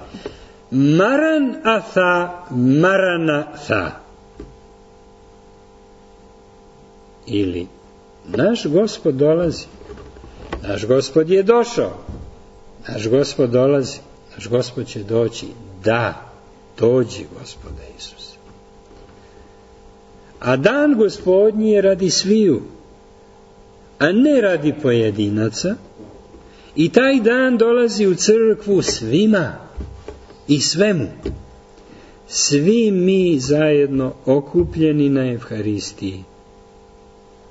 Maran atha, marana tha. Ili, naš Gospod dolazi. Naš Gospod je došao. Naš Gospod dolazi. Naš Gospod će doći. Da, dođi Gospode Isuse. A dan Gospodnji je radi sviju, a ne radi pojedinaca, i taj dan dolazi u crkvu svima i svemu. svi mi zajedno okupljeni na Evharistiji.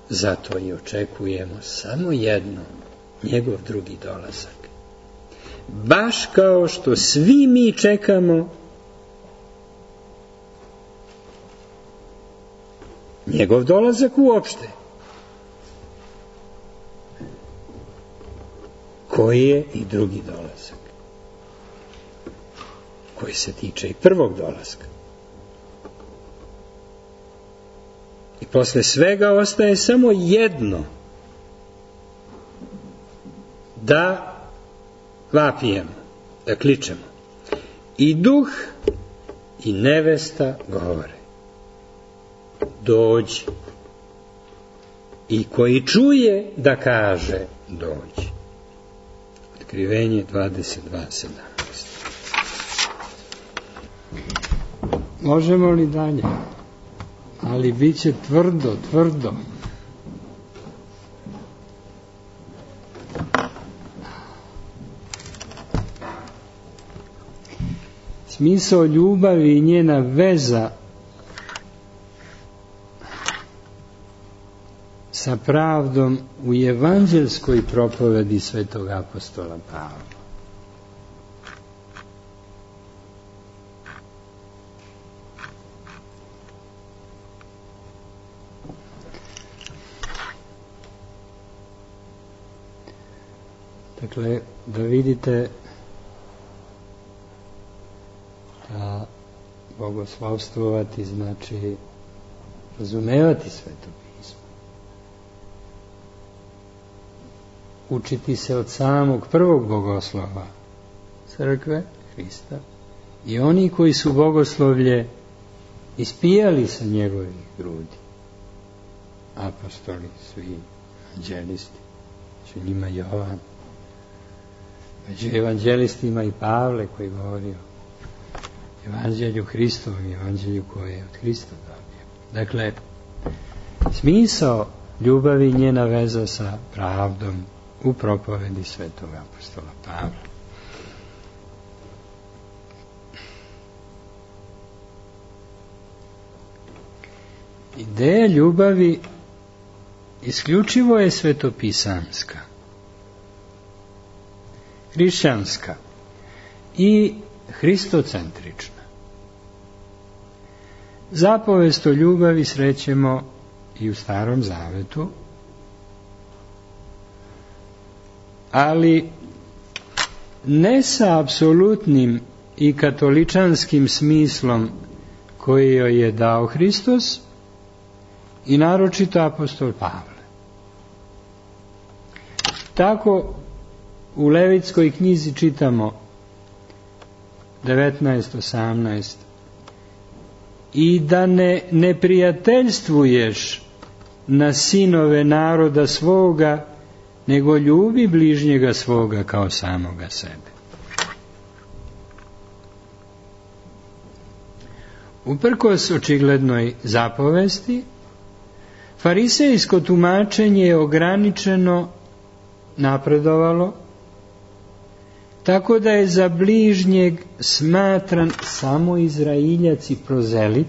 Zato i očekujemo samo jedno, njegov drugi dolazak. Baš kao što svi mi čekamo njegov dolazak uopšte. Koji je i drugi dolazak, koji se tiče i prvog dolaska. I posle svega ostaje samo jedno, da vapijemo, da kličemo. I duh i nevesta govore: dođi. I koji čuje da kaže: dođi. Otkrivenje dvadeset dva sedamnaest. Možemo li dalje? Ali bit će tvrdo, tvrdo. Smisao ljubavi i njena veza sa pravdom u evanđelskoj propovedi svetog apostola Pavla. Dakle, da vidite da bogoslovstvovati znači razumevati Sveto pismo. Učiti se od samog prvog bogoslova crkve, Hrista, i oni koji su bogoslovlje ispijali sa njegovih grudi. Apostoli, svi, evanđelisti, među njima Jovan, među evanđelistima i Pavle koji govori o evanđelju Hristovom i evanđelju koje je od Hrista dobio. Dakle, smisao ljubavi i njena veza sa pravdom u propovedi svetog apostola Pavla. Ideja ljubavi isključivo je svetopisamska, hrišćanska i hristocentrična. Zapovest o ljubavi srećemo i u Starom Zavetu, ali ne sa apsolutnim i katoličanskim smislom koji joj je dao Hristos i naročito apostol Pavle. Tako u Levitskoj knjizi čitamo devetnaest osamnaest i da ne neprijateljstvuješ na sinove naroda svoga, nego ljubi bližnjega svoga kao samoga sebe. Uprkos očiglednoj zapovesti, farisejsko tumačenje je ograničeno napredovalo, tako da je za bližnjeg smatran samo Izraeljac i prozelit,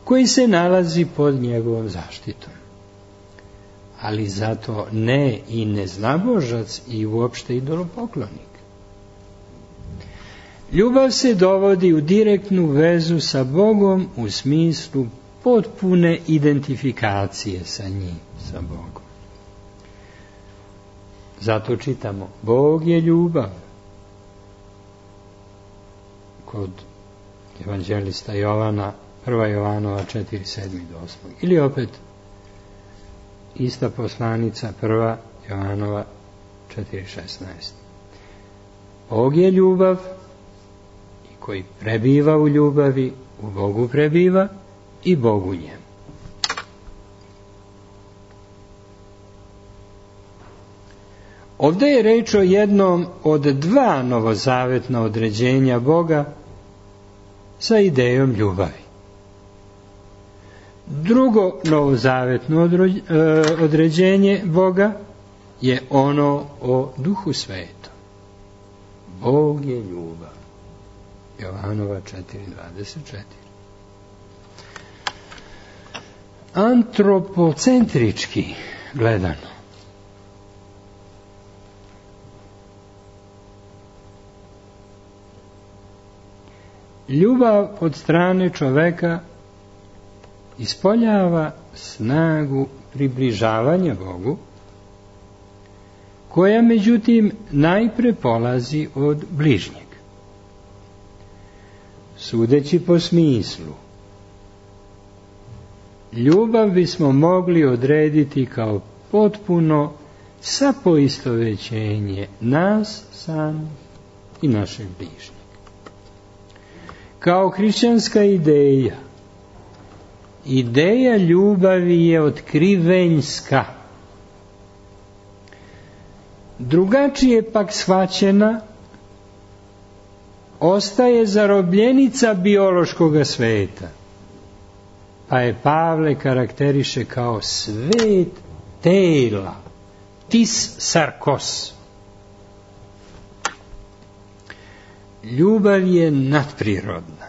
koji se nalazi pod njegovom zaštitom. Ali zato ne i neznabožac i uopšte idolopoklonik. Ljubav se dovodi u direktnu vezu sa Bogom u smislu potpune identifikacije sa njim, sa Bogom. Zato čitamo, Bog je ljubav. Kod evanđelista Jovana, prva Jovanova četiri sedam do osam. Ili opet, ista poslanica, prva Jovanova četiri šesnaest. Bog je ljubav i koji prebiva u ljubavi, u Bogu prebiva i Bog u njemu. Ovdje je reč o jednom od dva novozavetna određenja Boga sa idejom ljubavi. Drugo novozavetno određenje Boga je ono o Duhu Svetom. Bog je ljubav. Jovanova četiri dvadeset četiri. Antropocentrički gledano, ljubav od strane čoveka ispoljava snagu približavanja Bogu, koja međutim najpre polazi od bližnjeg. Sudeći po smislu, ljubav bismo mogli odrediti kao potpuno sapoistovećenje nas samih i našeg bližnjeg. Kao hrišćanska ideja, ideja ljubavi je otkrivenjska. Drugačije pak shvaćena, ostaje zarobljenica biološkoga sveta, pa je Pavle karakteriše kao svet tela, tis sarkos. Ljubav je nadprirodna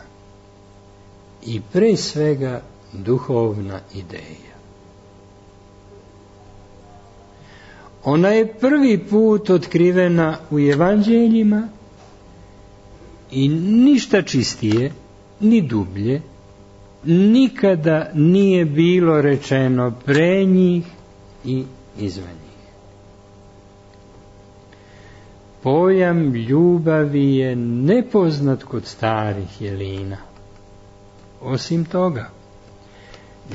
i pre svega duhovna ideja. Ona je prvi put otkrivena u evanđeljima i ništa čistije, ni dublje, nikada nije bilo rečeno pre njih i izvan njih. Pojam ljubavi je nepoznat kod starih Jelina. Osim toga,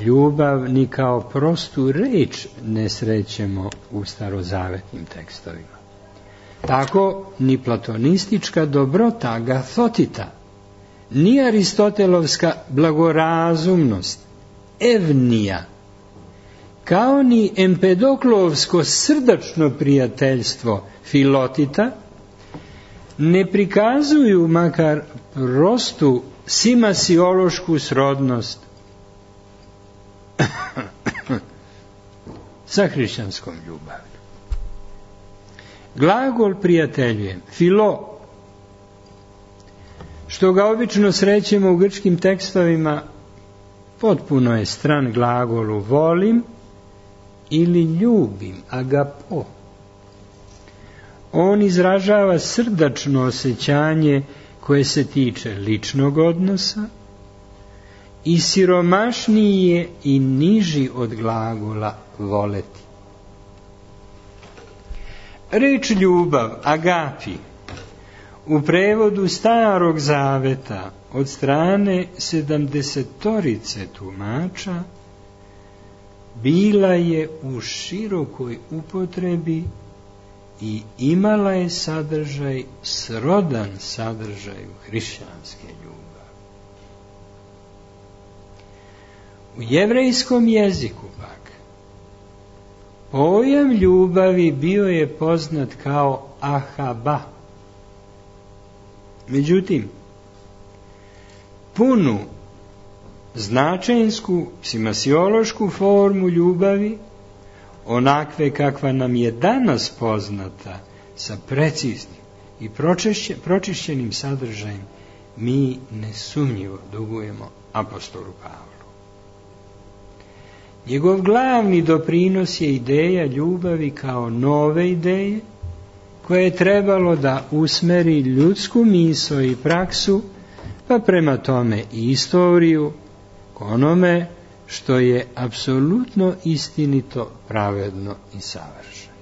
ljubav ni kao prostu reč ne srećemo u starozavetnim tekstovima. Tako ni platonistička dobrota agathotita, ni aristotelovska blagorazumnost, evnija, kao ni empedoklovsko srdačno prijateljstvo filotita, ne prikazuju makar prostu simasiološku srodnost sa hrišćanskom ljubavlju. Glagol prijateljujem, filo, što ga obično srećemo u grčkim tekstovima, potpuno je stran glagolu volim ili ljubim, agapo. On izražava srdačno osjećanje koje se tiče ličnog odnosa i siromašniji je i niži od glagola voleti. Reč ljubav, agapi, u prevodu Starog zaveta od strane sedamdesetorice tumača bila je u širokoj upotrebi i imala je sadržaj srodan sadržaju hrišćanske ljubavi. U jevrejskom jeziku pak pojam ljubavi bio je poznat kao ahaba. Međutim, punu značajnsku simasiološku formu ljubavi, onakve kakva nam je danas poznata, sa preciznim i pročišćenim sadržajem, mi nesumnjivo dugujemo apostolu Pavlu. Njegov glavni doprinos je ideja ljubavi kao nove ideje, koje je trebalo da usmeri ljudsku misao i praksu, pa prema tome i istoriju, k onome što je apsolutno istinito, pravedno i savršeno.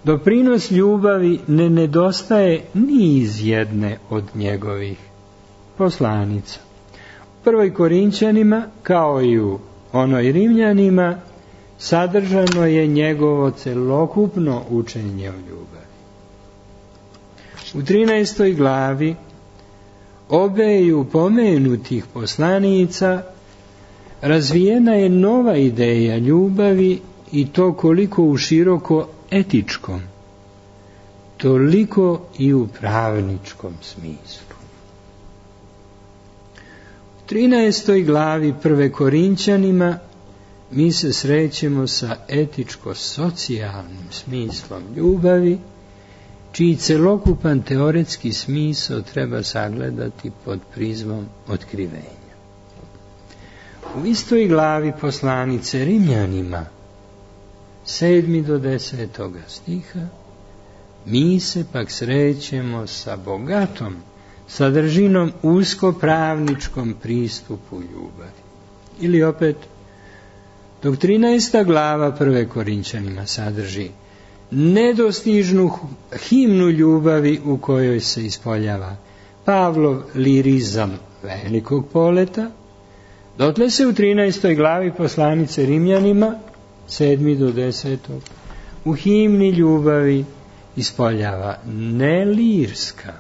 Doprinos ljubavi ne nedostaje ni iz jedne od njegovih poslanica. U prvoj Korinćanima, kao i u onoj Rimljanima, sadržano je njegovo celokupno učenje o ljubavi. U trinaestoj glavi obeju pomenutih poslanica razvijena je nova ideja ljubavi, i to koliko u široko etičkom, toliko i u pravničkom smislu. U trinaestoj glavi prve Korinćanima mi se srećemo sa etičko-socijalnim smislom ljubavi, čiji celokupan teoretski smisao treba sagledati pod prizmom otkrivenja. U istoj glavi poslanice Rimljanima, sedmi do desetoga stiha, mi se pak srećemo sa bogatom sadržinom uskopravničkom pristupu ljubavi. Ili opet, dok trinaesta glava prve Korinćanima sadrži nedostižnu himnu ljubavi u kojoj se ispoljava Pavlov lirizam velikog poleta, dotle se u trinaestoj glavi poslanice Rimljanima, sedmi do desetog, u himni ljubavi ispoljava ne lirska,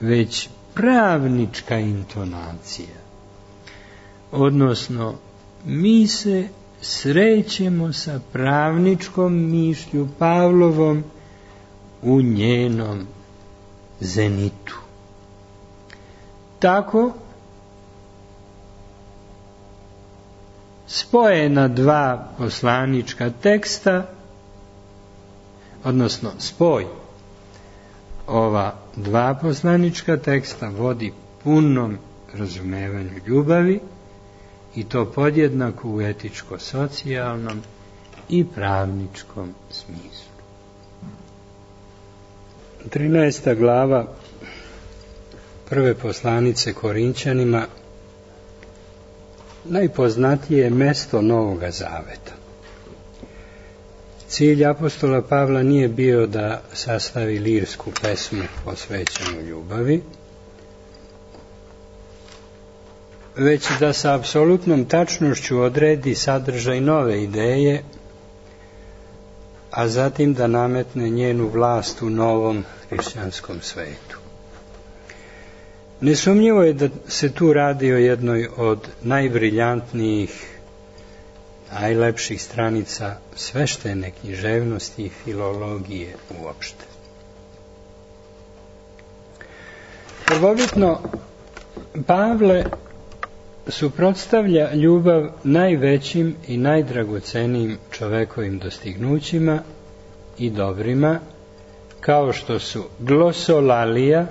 već pravnička intonacija. Odnosno, mi se srećemo sa pravničkom mišlju Pavlovom u njenom zenitu. Tako, spojena dva poslanička teksta, odnosno spoj ova dva poslanička teksta vodi punom razumevanju ljubavi, i to podjednako u etičko-socijalnom i pravničkom smislu. trinaesta glava prve poslanice Korinćanima najpoznatije je mesto Novoga Zaveta. Cilj apostola Pavla nije bio da sastavi lirsku pesmu posvećenu ljubavi, već da sa apsolutnom tačnošću odredi sadržaj nove ideje, a zatim da nametne njenu vlast u novom hrišćanskom svetu. Nesumnjivo je da se tu radi o jednoj od najbriljantnijih, najlepših stranica sveštene književnosti i filologije uopšte. Prvobitno, Pavle suprotstavlja ljubav najvećim i najdragocenijim čovekovim dostignućima i dobrima, kao što su glosolalija,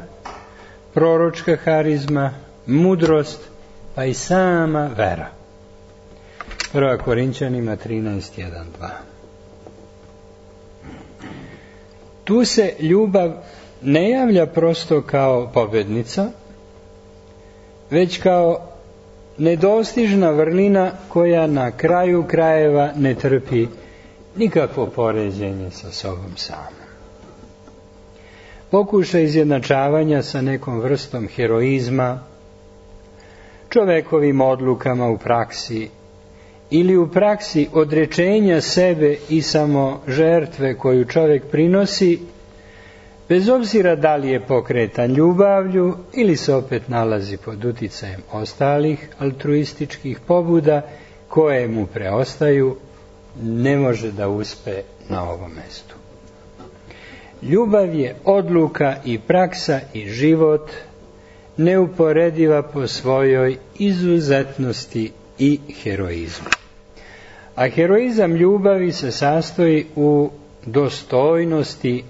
proročka harizma, mudrost, pa i sama vera. Prva Korinćanima trinaest, jedan, dva. Tu se ljubav ne javlja prosto kao pobednica, već kao nedostižna vrlina koja na kraju krajeva ne trpi nikakvo poređenje sa sobom samom. Pokušaj izjednačavanja sa nekom vrstom heroizma, čovekovim odlukama u praksi ili u praksi odrečenja sebe i samo žrtve koju čovek prinosi, bez obzira da li je pokretan ljubavlju ili se opet nalazi pod uticajem ostalih altruističkih pobuda koje mu preostaju, ne može da uspe na ovom mestu. Ljubav je odluka i praksa i život, neuporediva po svojoj izuzetnosti i heroizmu. A heroizam ljubavi se sastoji u dostojnosti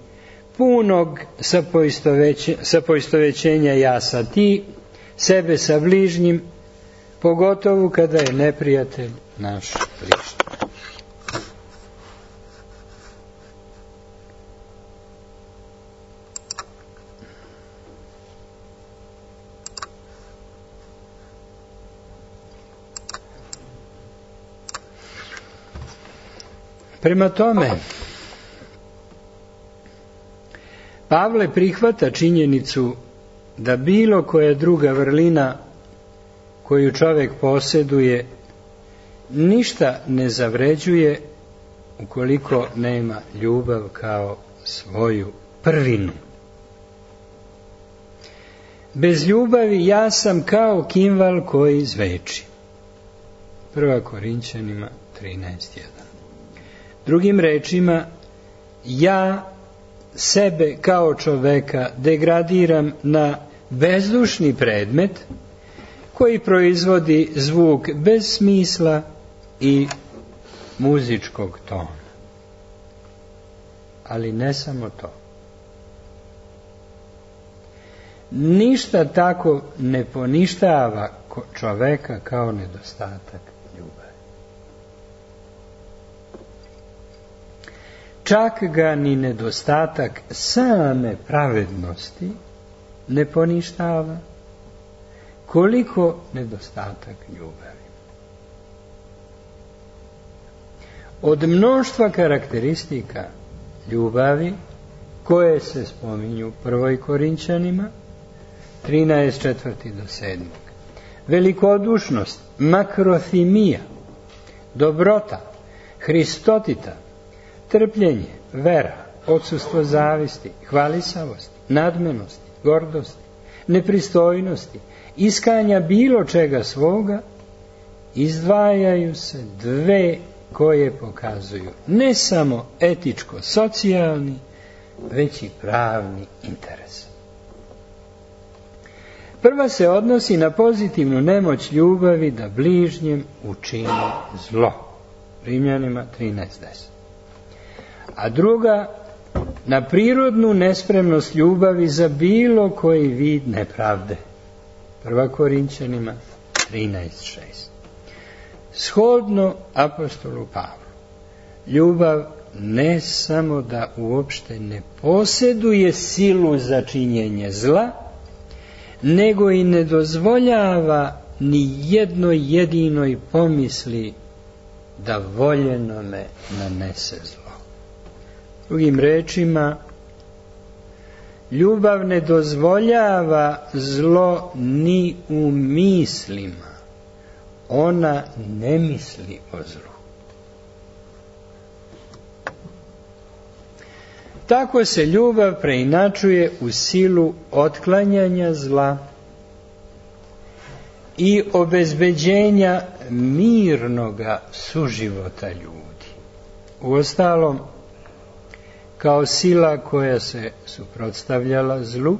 punog sapoistovećenja ja sa ti, sebe sa bližnjim, pogotovo kada je neprijatelj naš bližnji. Prema tome, Pavle prihvata činjenicu da bilo koja druga vrlina koju čovjek posjeduje ništa ne zavređuje ukoliko nema ljubav kao svoju prvinu. Bez ljubavi ja sam kao kimval koji zveči. Prva Korinćanima trinaest, jedan. Drugim rečima, ja sebe kao čoveka degradiram na bezdušni predmet koji proizvodi zvuk bez smisla i muzičkog tona. Ali ne samo to. ništa tako ne poništava čoveka kao nedostatak ljubavi. Čak ga ni nedostatak same pravednosti ne poništava, koliko nedostatak ljubavi. Od mnoštva karakteristika ljubavi koje se spominju u prvoj Korinćanima trinaest četvrti do sedmog. Velikodušnost, makrothimija, dobrota, hristotita, trpljenje, vera, odsustvo zavisti, hvalisavosti, nadmenosti, gordosti, nepristojnosti, iskanja bilo čega svoga, izdvajaju se dve koje pokazuju ne samo etičko-socijalni, već i pravni interes. Prva se odnosi na pozitivnu nemoć ljubavi da bližnjem učini zlo. Rimljanima trinaest deset. A druga na prirodnu nespremnost ljubavi za bilo koji vid nepravde. Prva Korinćanima trinaest šest. Shodno apostolu Pavlu, ljubav ne samo da uopšte ne posjeduje silu za činjenje zla, nego i ne dozvoljava ni jednoj jedinoj pomisli da voljenome nanese zlo. Drugim rečima, ljubav ne dozvoljava zlo ni u mislima. Ona ne misli o zlu. Tako se ljubav preinačuje u silu otklanjanja zla i obezbeđenja mirnoga suživota ljudi. Uostalom, kao sila koja se suprotstavljala zlu,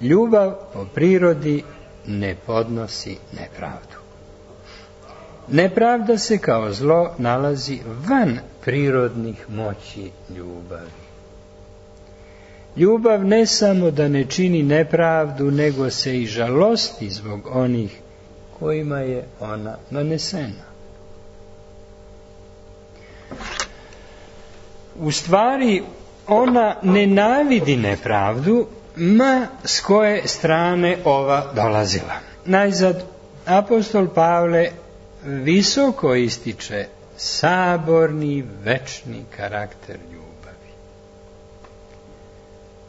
ljubav po prirodi ne podnosi nepravdu. Nepravda se kao zlo nalazi van prirodnih moći ljubavi. Ljubav ne samo da ne čini nepravdu, nego se i žalosti zbog onih kojima je ona nanesena. U stvari, ona nenavidi nepravdu, ma s koje strane ova dolazila. Najzad, apostol Pavle visoko ističe saborni, večni karakter ljubavi.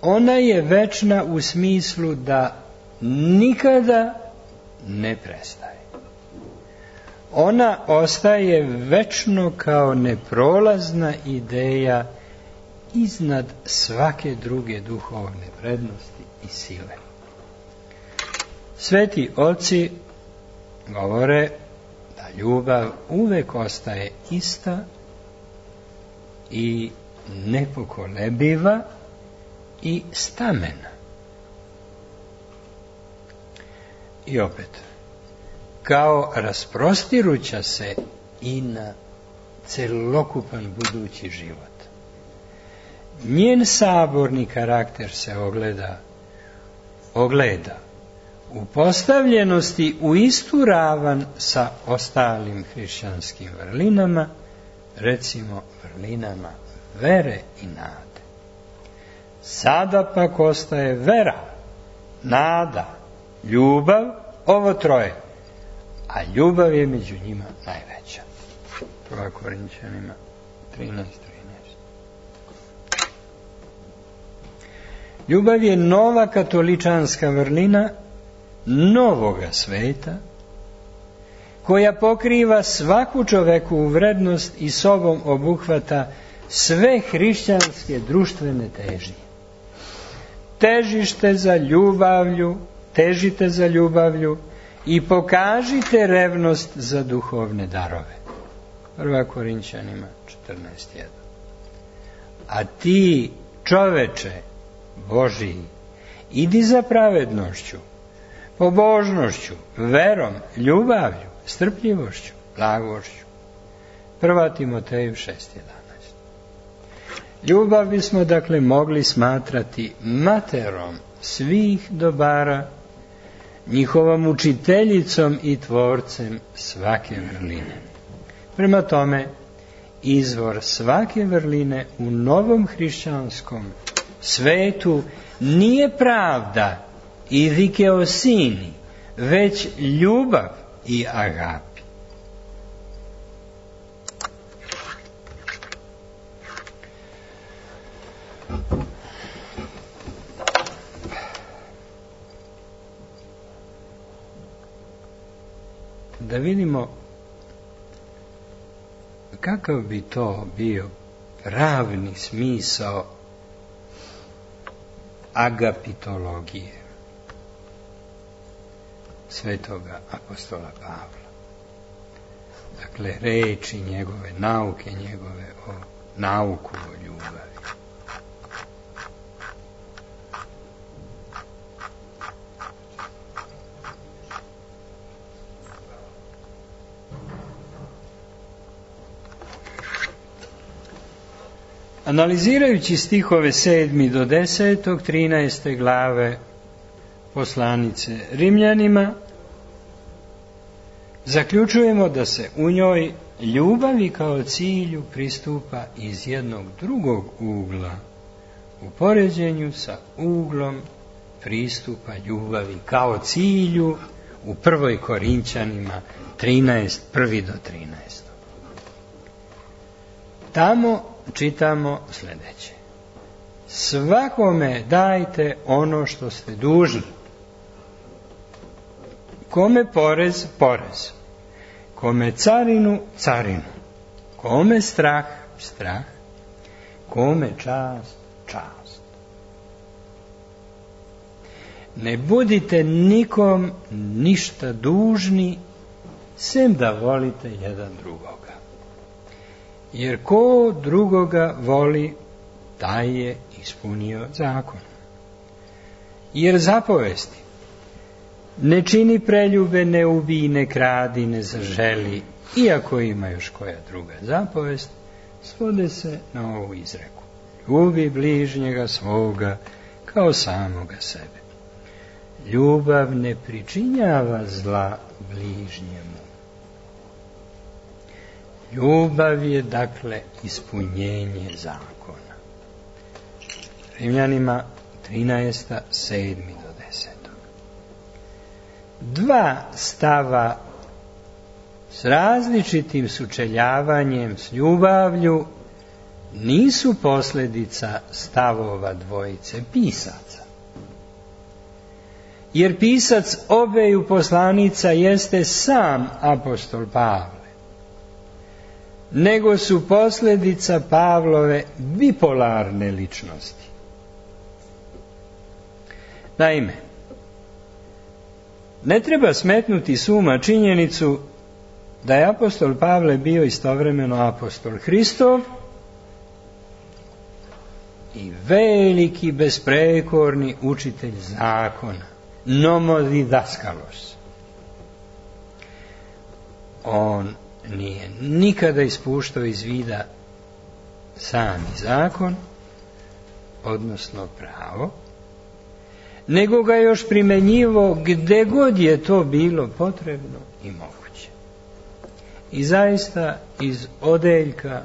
Ona je večna u smislu da nikada ne prestaje. Ona ostaje večno kao neprolazna ideja iznad svake druge duhovne prednosti i sile. Sveti oci govore da ljubav uvek ostaje ista i nepokolebiva i stamena. I opet, kao rasprostiruća se i na celokupan budući život. Njen saborni karakter se ogleda, ogleda u postavljenosti u istu ravan sa ostalim hrišćanskim vrlinama, recimo vrlinama vere i nade. Sada pak ostaje vera, nada, ljubav, ovo troje, a ljubav je među njima najveća. Prva Korinćanima trinaest trinaest. Ljubav je nova katoličanska vrlina novoga sveta, koja pokriva svaku čovekovu vrednost i sobom obuhvata sve hrišćanske društvene težnje. Težište za ljubavlju, težite za ljubavlju i pokažite revnost za duhovne darove. Prva Korinćanima četrnaest jedan. A ti, čoveče Božiji, idi za pravednošću, pobožnošću, verom, ljubavlju, strpljivošću, blagošću. Prva Timoteju šest jedanaest. Ljubav bismo dakle mogli smatrati materom svih dobara, njihovom učiteljicom i tvorcem svake vrline. Prema tome, izvor svake vrline u novom hrišćanskom svetu nije pravda i dikeosini, već ljubav i agapi. Da vidimo kakav bi to bio pravni smisao agapitologije svetoga apostola Pavla. Dakle, reči njegove, nauke njegove o nauku o ljubavi. Analizirajući stihove sedmi do desetog, trinaeste glave poslanice Rimljanima, zaključujemo da se u njoj ljubavi kao cilju pristupa iz jednog drugog ugla, u poređenju sa uglom pristupa ljubavi kao cilju u prvoj Korinćanima trinaest, prvi do trinaest. Tamo čitamo sljedeće: svakome dajte ono što ste dužni. Kome porez, porez. Kome carinu, carinu. Kome strah, strah. Kome čast, čast. Ne budite nikom ništa dužni, sem da volite jedan drugoga. Jer ko drugoga voli, taj je ispunio zakon. Jer zapovesti: ne čini preljube, ne ubij, ne kradi, ne zaželi, iako ima još koja druga zapovest, svode se na ovu izreku: ljubi bližnjega svoga kao samoga sebe. Ljubav ne pričinjava zla bližnjemu. Ljubav je, dakle, ispunjenje zakona. Rimljanima trinaest, sedmi do desetog. Dva stava s različitim sučeljavanjem s ljubavlju nisu posljedica stavova dvojice pisaca. Jer pisac obeju poslanica jeste sam apostol Pavle, nego su posljedica Pavlove bipolarne ličnosti. Naime, ne treba smetnuti s uma činjenicu da je apostol Pavle bio istovremeno apostol Hristov i veliki besprekorni učitelj zakona, nomodidaskalos. On nije nikada ispuštao iz vida sami zakon, odnosno pravo, nego ga još primenjivo gdje god je to bilo potrebno i moguće. I zaista iz odeljka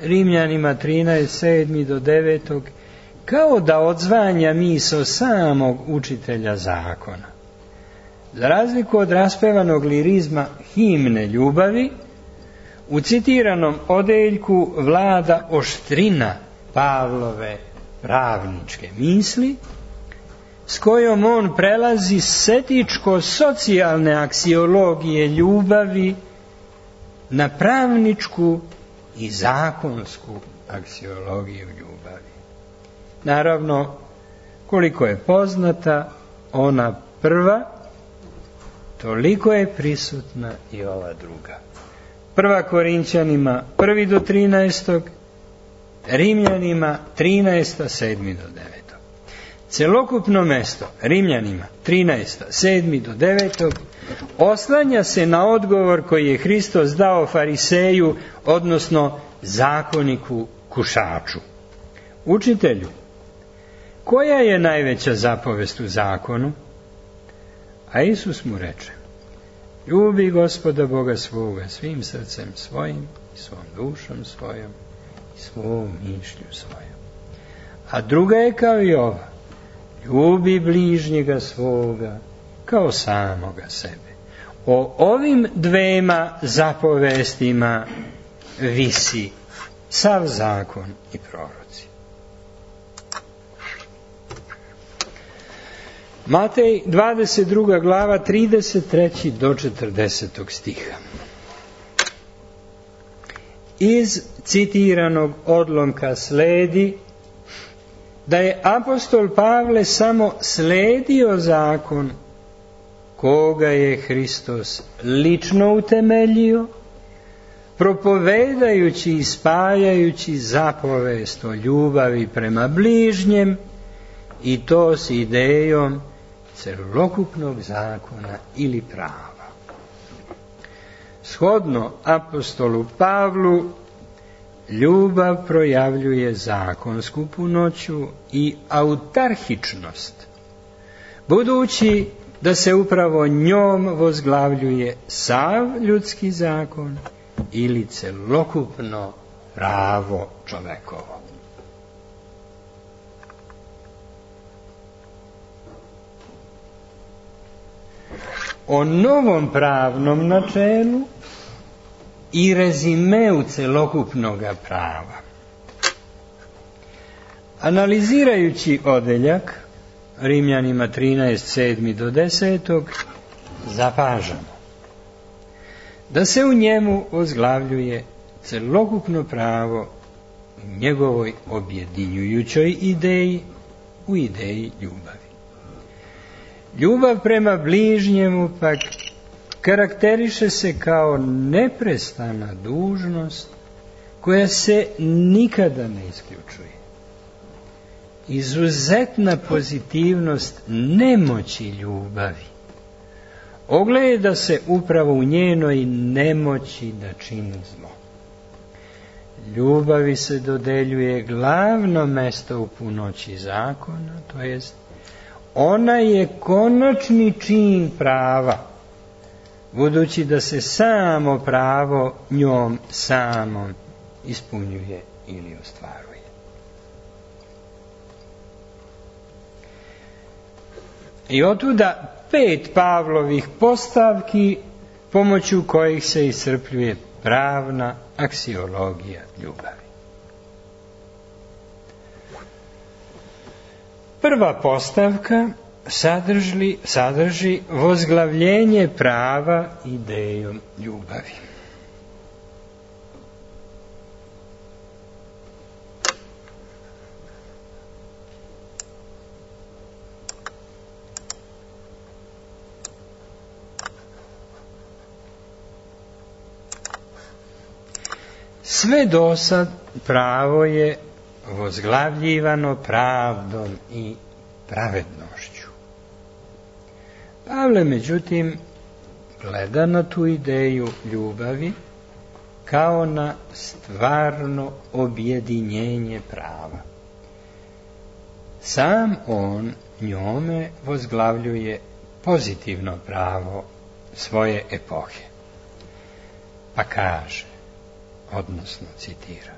Rimljanima trinaest, sedmi do devetog, kao da odzvanja misao samog učitelja zakona. Za razliku od raspevanog lirizma himne ljubavi, u citiranom odeljku vlada oštrina Pavlove pravničke misli, s kojom on prelazi s etičko-socijalne aksiologije ljubavi na pravničku i zakonsku aksiologiju ljubavi. Naravno, koliko je poznata ona prva, toliko je prisutna i ova druga. Prva Korinćanima prvi do trinaestog, Rimljanima trinaest, sedmi do devetog. Celokupno mesto Rimljanima trinaest, sedmi do devetog oslanja se na odgovor koji je Hristos dao fariseju, odnosno zakoniku kušaču. Učitelju, koja je najveća zapovest u zakonu? A Isus mu reče, ljubi Gospoda Boga svoga svim srcem svojim i svom dušom svojom i svom mišlju svojom. A druga je kao i ova, ljubi bližnjega svoga kao samoga sebe. O ovim dvema zapovestima visi sav zakon i proroci. Matej dvadeset druga glava trideset treći do četrdesetog stiha. Iz citiranog odlomka sledi da je apostol Pavle samo sledio zakon koga je Hristos lično utemeljio, propovedajući i spajajući zapovest o ljubavi prema bližnjem, i to s idejom celokupnog zakona ili prava. Shodno apostolu Pavlu, ljubav projavljuje zakonsku punoću i autarhičnost, budući da se upravo njom vozglavljuje sav ljudski zakon ili celokupno pravo čovekovo. O novom pravnom načelu i rezimeu celokupnoga prava. Analizirajući odeljak Rimljanima trinaest, sedmi do desetog, zapažamo da se u njemu ozglavljuje celokupno pravo u njegovoj objedinjujućoj ideji, u ideji ljubavi. Ljubav prema bližnjemu pak karakteriše se kao neprestana dužnost koja se nikada ne isključuje. Izuzetna pozitivnost nemoći ljubavi ogleda se upravo u njenoj nemoći da čini zlo. Ljubavi se dodeljuje glavno mesto u punoći zakona, to jest ona je konačni čin prava, budući da se samo pravo njom samom ispunjuje ili ostvaruje. I otuda pet Pavlovih postavki pomoću kojih se iscrpljuje pravna aksiologija ljubavi. Prva postavka sadrži, sadrži vozglavljenje prava idejom ljubavi. Sve dosad pravo je vozglavljivano pravdom i pravednošću. Pavle, međutim, gleda na tu ideju ljubavi kao na stvarno objedinjenje prava. Sam on njome vozglavljuje pozitivno pravo svoje epohe. Pa kaže, odnosno citira,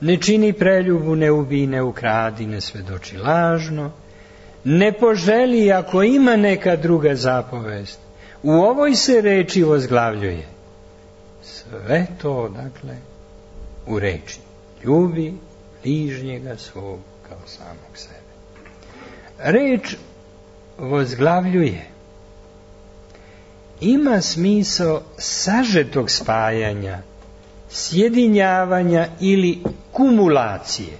ne čini preljubu, ne ubij, ne ukradi, ne svedoči lažno, ne poželi ako ima neka druga zapovest. U ovoj se reči vozglavljuje. Sve to, dakle, u reči. Ljubi bližnjega svog kao samog sebe. Reč vozglavljuje ima smisao sažetog spajanja, sjedinjavanja ili kumulacije.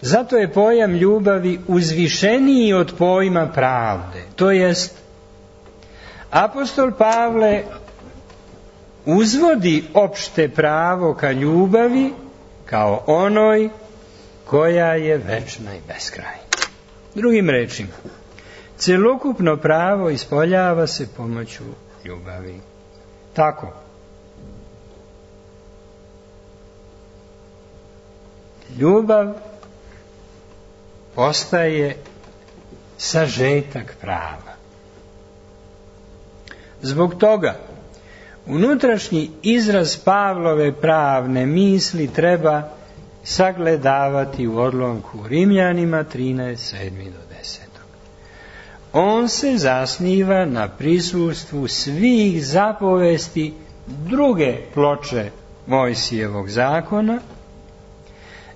Zato je pojam ljubavi uzvišeniji od pojma pravde. To jest, apostol Pavle uzvodi opšte pravo ka ljubavi kao onoj koja je večna i beskrajna. Drugim rečima, celokupno pravo ispoljava se pomoću ljubavi. Tako, ljubav postaje sažetak prava. Zbog toga unutrašnji izraz Pavlove pravne misli treba sagledavati u odlomku Rimljanima trinaest, sedam do deset. On se zasniva na prisustvu svih zapovesti druge ploče Mojsijevog zakona,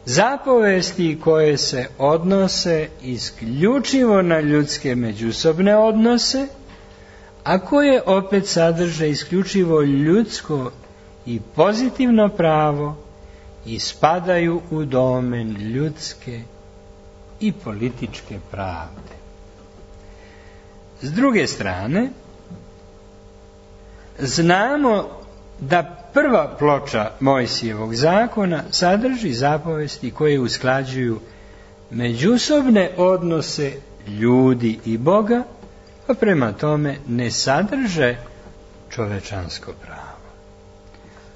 zapovesti koje se odnose isključivo na ljudske međusobne odnose, a koje opet sadrže isključivo ljudsko i pozitivno pravo i spadaju u domen ljudske i političke pravde. S druge strane, znamo da prva ploča Mojsijevog zakona sadrži zapovesti koje usklađuju međusobne odnose ljudi i Boga, a prema tome ne sadrže čovečansko pravo.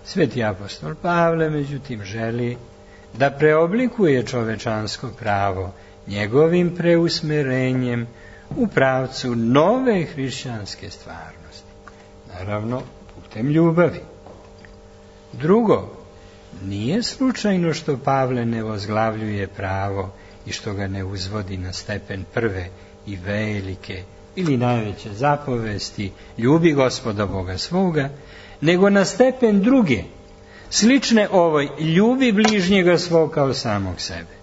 Sveti apostol Pavle, međutim, želi da preoblikuje čovečansko pravo njegovim preusmerenjem u pravcu nove hrišćanske stvarnosti. Naravno, putem ljubavi. Drugo, nije slučajno što Pavle ne vozglavljuje pravo i što ga ne uzvodi na stepen prve i velike ili najveće zapovesti, ljubi Gospoda Boga svoga, nego na stepen druge, slične ovoj, ljubi bližnjega svog kao samog sebe.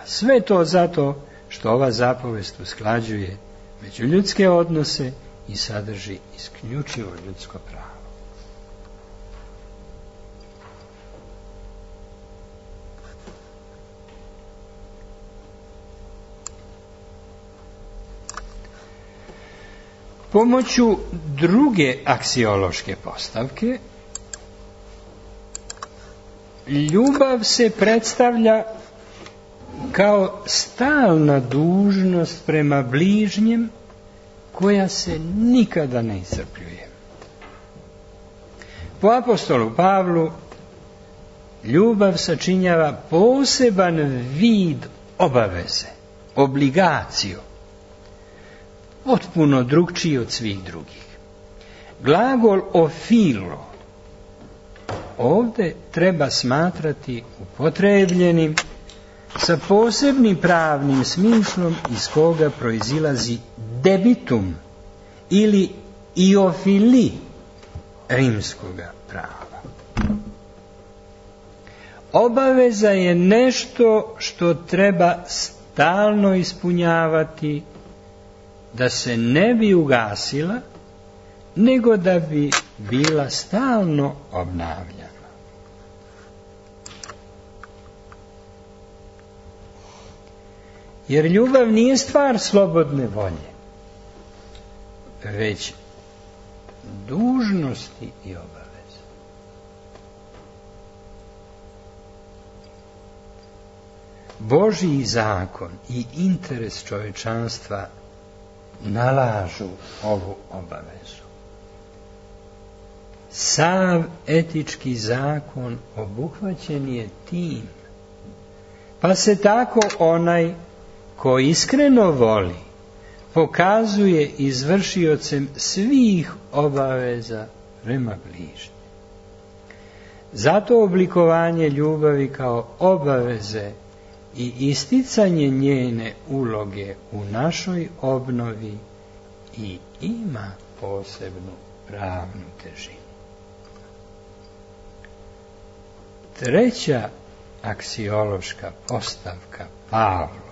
A sve to zato što ova zapovest usklađuje međuljudske odnose i sadrži isključivo ljudsko pravo. Pomoću druge aksiološke postavke, ljubav se predstavlja kao stalna dužnost prema bližnjem koja se nikada ne iscrpljuje. Po apostolu Pavlu ljubav sačinjava poseban vid obaveze, obligaciju, potpuno drugčiji od svih drugih. Glagol ofilo ovdje treba smatrati upotrebljenim sa posebnim pravnim smislom iz koga proizilazi debitum ili iofili rimskoga prava. Obaveza je nešto što treba stalno ispunjavati da se ne bi ugasila, nego da bi bila stalno obnavljana. Jer ljubav nije stvar slobodne volje, već dužnosti i obaveze. Božji zakon i interes čovječanstva nalažu ovu obavezu. Sav etički zakon obuhvaćen je tim, pa se tako onaj ko iskreno voli pokazuje izvršiocem svih obaveza prema bližnjem. Zato oblikovanje ljubavi kao obaveze i isticanje njene uloge u našoj obnovi i ima posebnu pravnu težinu. Treća aksiološka postavka Pavlova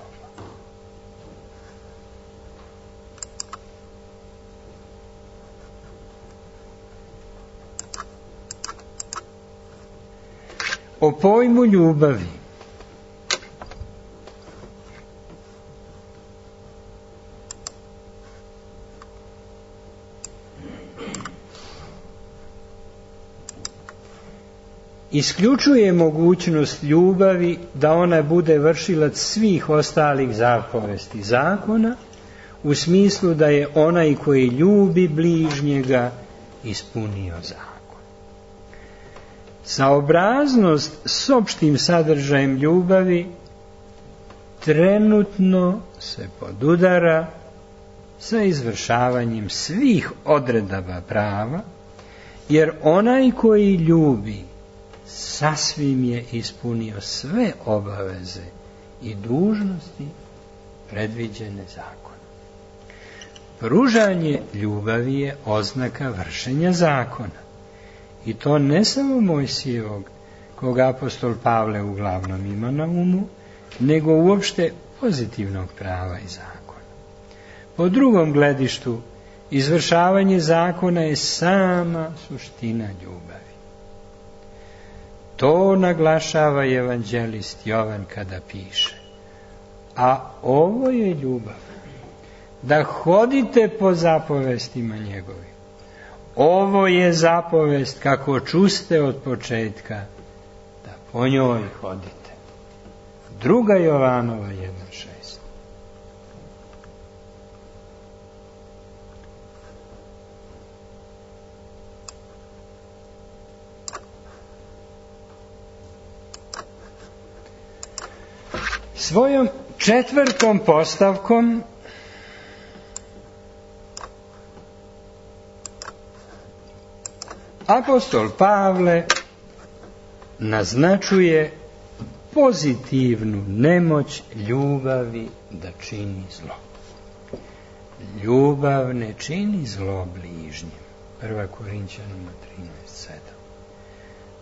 o pojmu ljubavi isključuje mogućnost ljubavi da ona bude vršilac svih ostalih zapovesti zakona, u smislu da je onaj koji ljubi bližnjega ispunio zakon. Saobraznost s opštim sadržajem ljubavi trenutno se podudara sa izvršavanjem svih odredaba prava, jer onaj koji ljubi sasvim je ispunio sve obaveze i dužnosti predviđene zakonom. Pružanje ljubavi je oznaka vršenja zakona. I to ne samo Mojsijevog, koga apostol Pavle uglavnom ima na umu, nego uopšte pozitivnog prava i zakona. Po drugom gledištu, izvršavanje zakona je sama suština ljubavi. To naglašava evanđelist Jovan kada piše: a ovo je ljubav, da hodite po zapovestima njegovim. Ovo je zapovest kako čuste od početka, da po njoj hodite. Druga Jovanova jedan šest. Svojom četvrtom postavkom apostol Pavle naznačuje pozitivnu nemoć ljubavi da čini zlo. Ljubav ne čini zlo bližnjem. Prva Korinćanima trinaest sedam.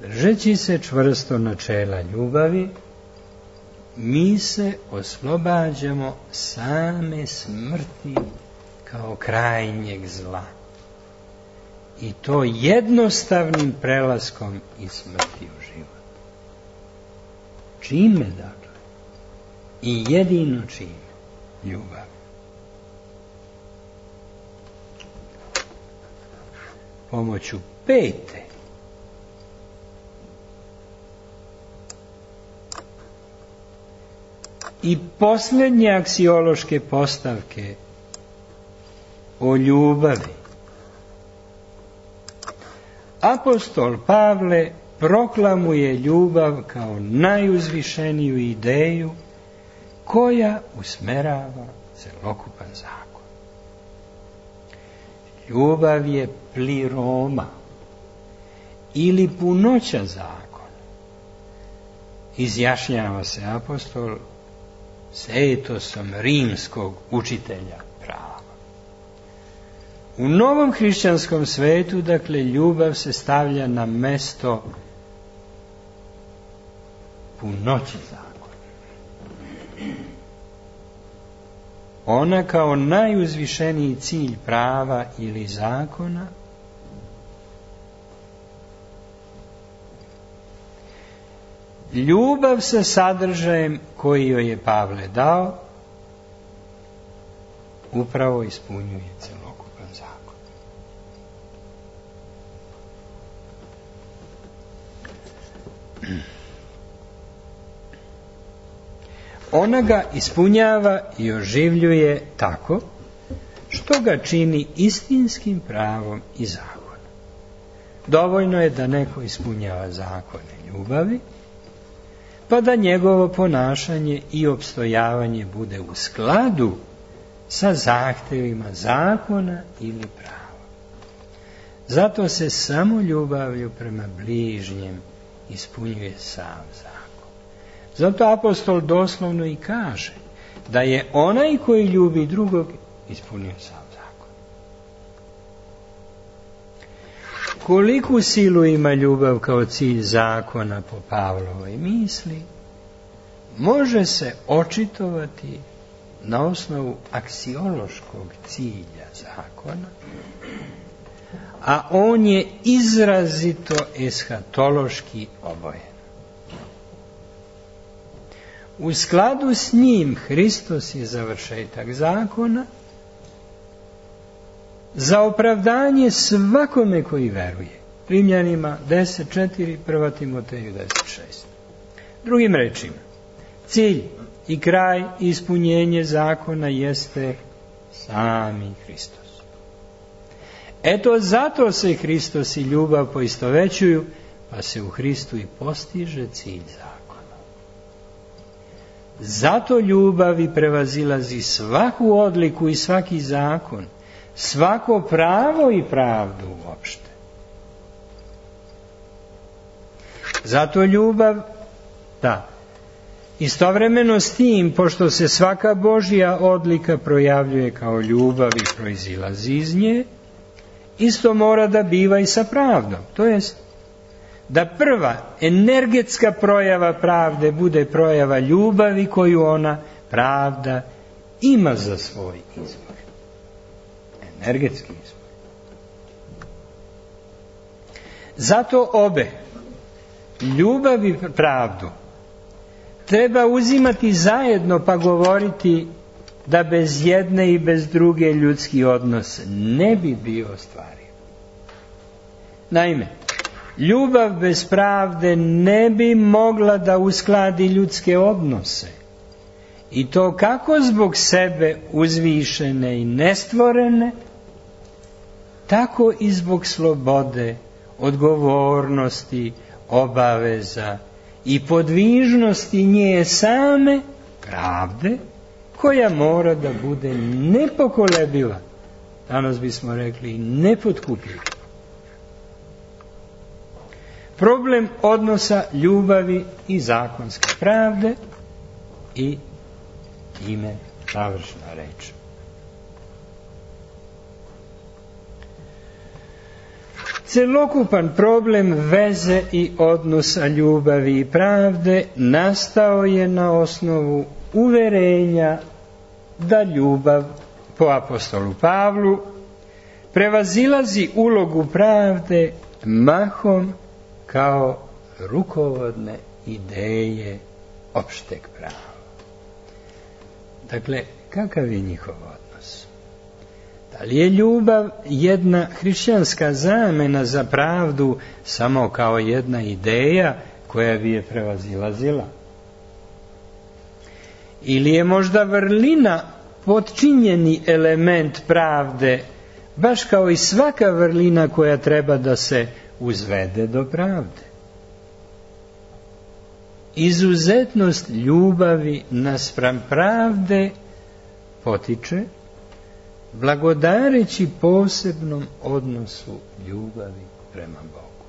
Držeći se čvrsto načela ljubavi, mi se oslobađamo same smrti kao krajnjeg zla. I to jednostavnim prelaskom iz smrti u život. Čime, dakle? I jedino čime? Ljubav. Pomoću pete i posljednje aksiološke postavke o ljubavi, apostol Pavle proklamuje ljubav kao najuzvišeniju ideju koja usmerava celokupan zakon. Ljubav je pliroma ili punoća zakona. Izjašnjava se apostol s etosom rimskog učitelja prava. U novom hrišćanskom svetu, dakle, ljubav se stavlja na mesto punoći zakona. Ona kao najuzvišeniji cilj prava ili zakona ljubav sa sadržajem koji joj je Pavle dao upravo ispunjuje celokupan zakon. Ona ga ispunjava i oživljuje tako što ga čini istinskim pravom i zakonom. Dovoljno je da neko ispunjava zakone ljubavi, pa da njegovo ponašanje i opstojavanje bude u skladu sa zahtevima zakona ili prava. Zato se samo ljubavlju prema bližnjem ispunjuje sam zakon. Zato apostol doslovno i kaže da je onaj koji ljubi drugog ispunio sam zakon. Koliku silu ima ljubav kao cilj zakona po Pavlovoj misli, može se očitovati na osnovu aksiološkog cilja zakona, a on je izrazito eshatološki obojen. U skladu s njim Hristos je završetak zakona za opravdanje svakome koji veruje. Rimljanima deset četiri, prva Timoteju deset šest. Drugim rečima, cilj i kraj i ispunjenje zakona jeste sami Hristos. Eto zato se Hristos i ljubav poistovećuju, pa se u Hristu i postiže cilj zakona. Zato ljubav i prevazilazi svaku odliku i svaki zakon, svako pravo i pravdu uopšte. Zato ljubav, da, istovremeno s tim, pošto se svaka Božja odlika projavljuje kao ljubav i proizilazi iz nje, isto mora da biva i sa pravdom. To jest, da prva energetska projava pravde bude projava ljubavi koju ona, pravda, ima za svoj izbor. Energetski izbor. Zato obe, ljubav i pravdu, treba uzimati zajedno pa govoriti da bez jedne i bez druge ljudski odnos ne bi bio ostvariv. Naime, ljubav bez pravde ne bi mogla da uskladi ljudske odnose. I to kako zbog sebe uzvišene i nestvorene, tako i zbog slobode, odgovornosti, obaveza i podvižnosti nje same, pravde, koja mora da bude nepokolebiva. Danas bismo rekli nepotkupljiva. Problem odnosa ljubavi i zakonske pravde i ime završna reč. Celokupan problem veze i odnosa ljubavi i pravde nastao je na osnovu uverenja da ljubav, po apostolu Pavlu, prevazilazi ulogu pravde mahom kao rukovodne ideje opšteg prava. Dakle, kakav je njihov odnos? Da li je ljubav jedna hrišćanska zamena za pravdu samo kao jedna ideja koja bi je prevazilazila? Ili je možda vrlina potčinjeni element pravde, baš kao i svaka vrlina koja treba da se uzvede do pravde? Izuzetnost ljubavi naspram pravde potiče blagodareći posebnom odnosu ljubavi prema Bogu.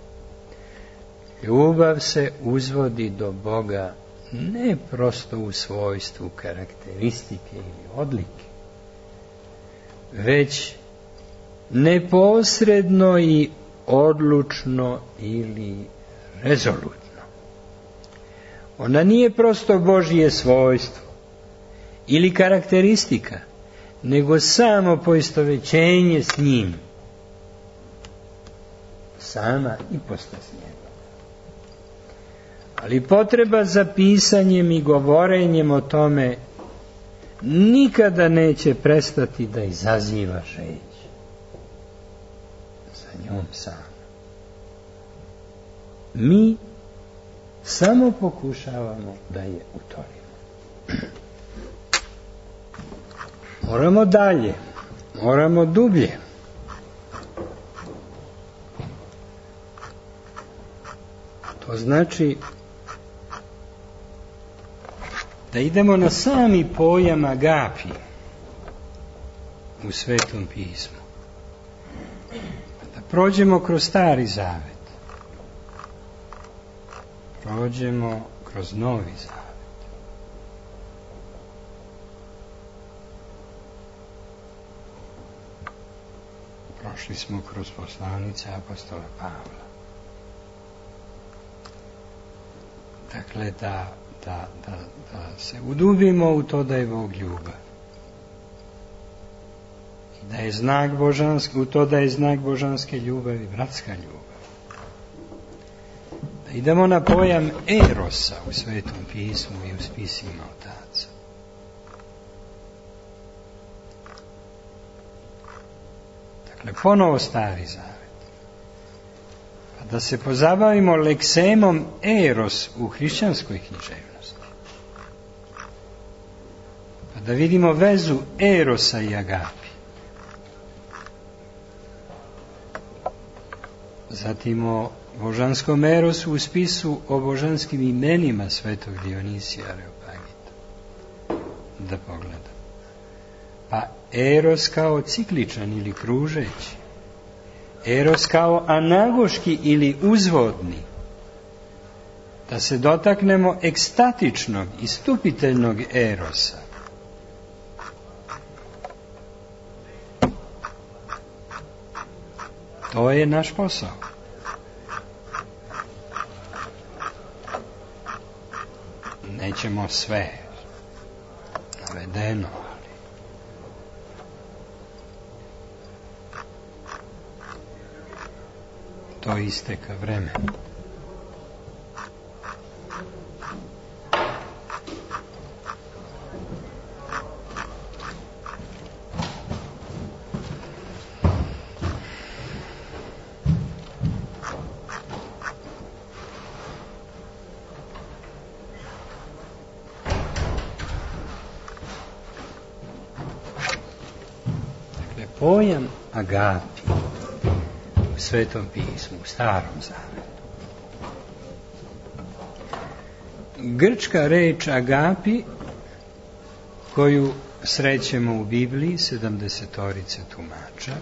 Ljubav se uzvodi do Boga ne prosto u svojstvu karakteristike ili odlike, već neposredno i odlučno ili rezolutno. Ona nije prosto Božje svojstvo ili karakteristika, nego samo poistovećenje s njim. Sama ipostas njega. Ali potreba za pisanjem i govorenjem o tome nikada neće prestati da izaziva žeđ za njom sam. Mi samo pokušavamo da je utorimo. Moramo dalje, moramo dublje. To znači da idemo na sami pojam agapi u Svetom pismu. Da prođemo kroz Stari Zavet. Prođemo kroz Novi Zavet. Prošli smo kroz poslanice apostola Pavla. Dakle, da, da, da, da se udubimo u to da je Bog ljubav. I da je znak božanske, u to da je znak božanske ljubavi, bratska ljubav. Da idemo na pojam erosa u Svetom pismu i u spisima otaca. Dakle, ponovo Stari Zavet. Pa da se pozabavimo leksemom eros u hrišćanskoj književnosti. Pa da vidimo vezu erosa i agapi. Zatim o božanskom erosu u spisu o božanskim imenima svetog Dionisija Areopagita. da pogledam. Pa eros kao cikličan ili kružeći, eros kao anagoški ili uzvodni, da se dotaknemo ekstatičnog i stupiteljnog erosa. To je naš posao. Nećemo sve navedeno, ali to isteka vremena. Pojam agapi u Svetom pismu, u Starom Zavetu. Grčka reč agapi, koju srećemo u Bibliji, sedamdesetorice tumača.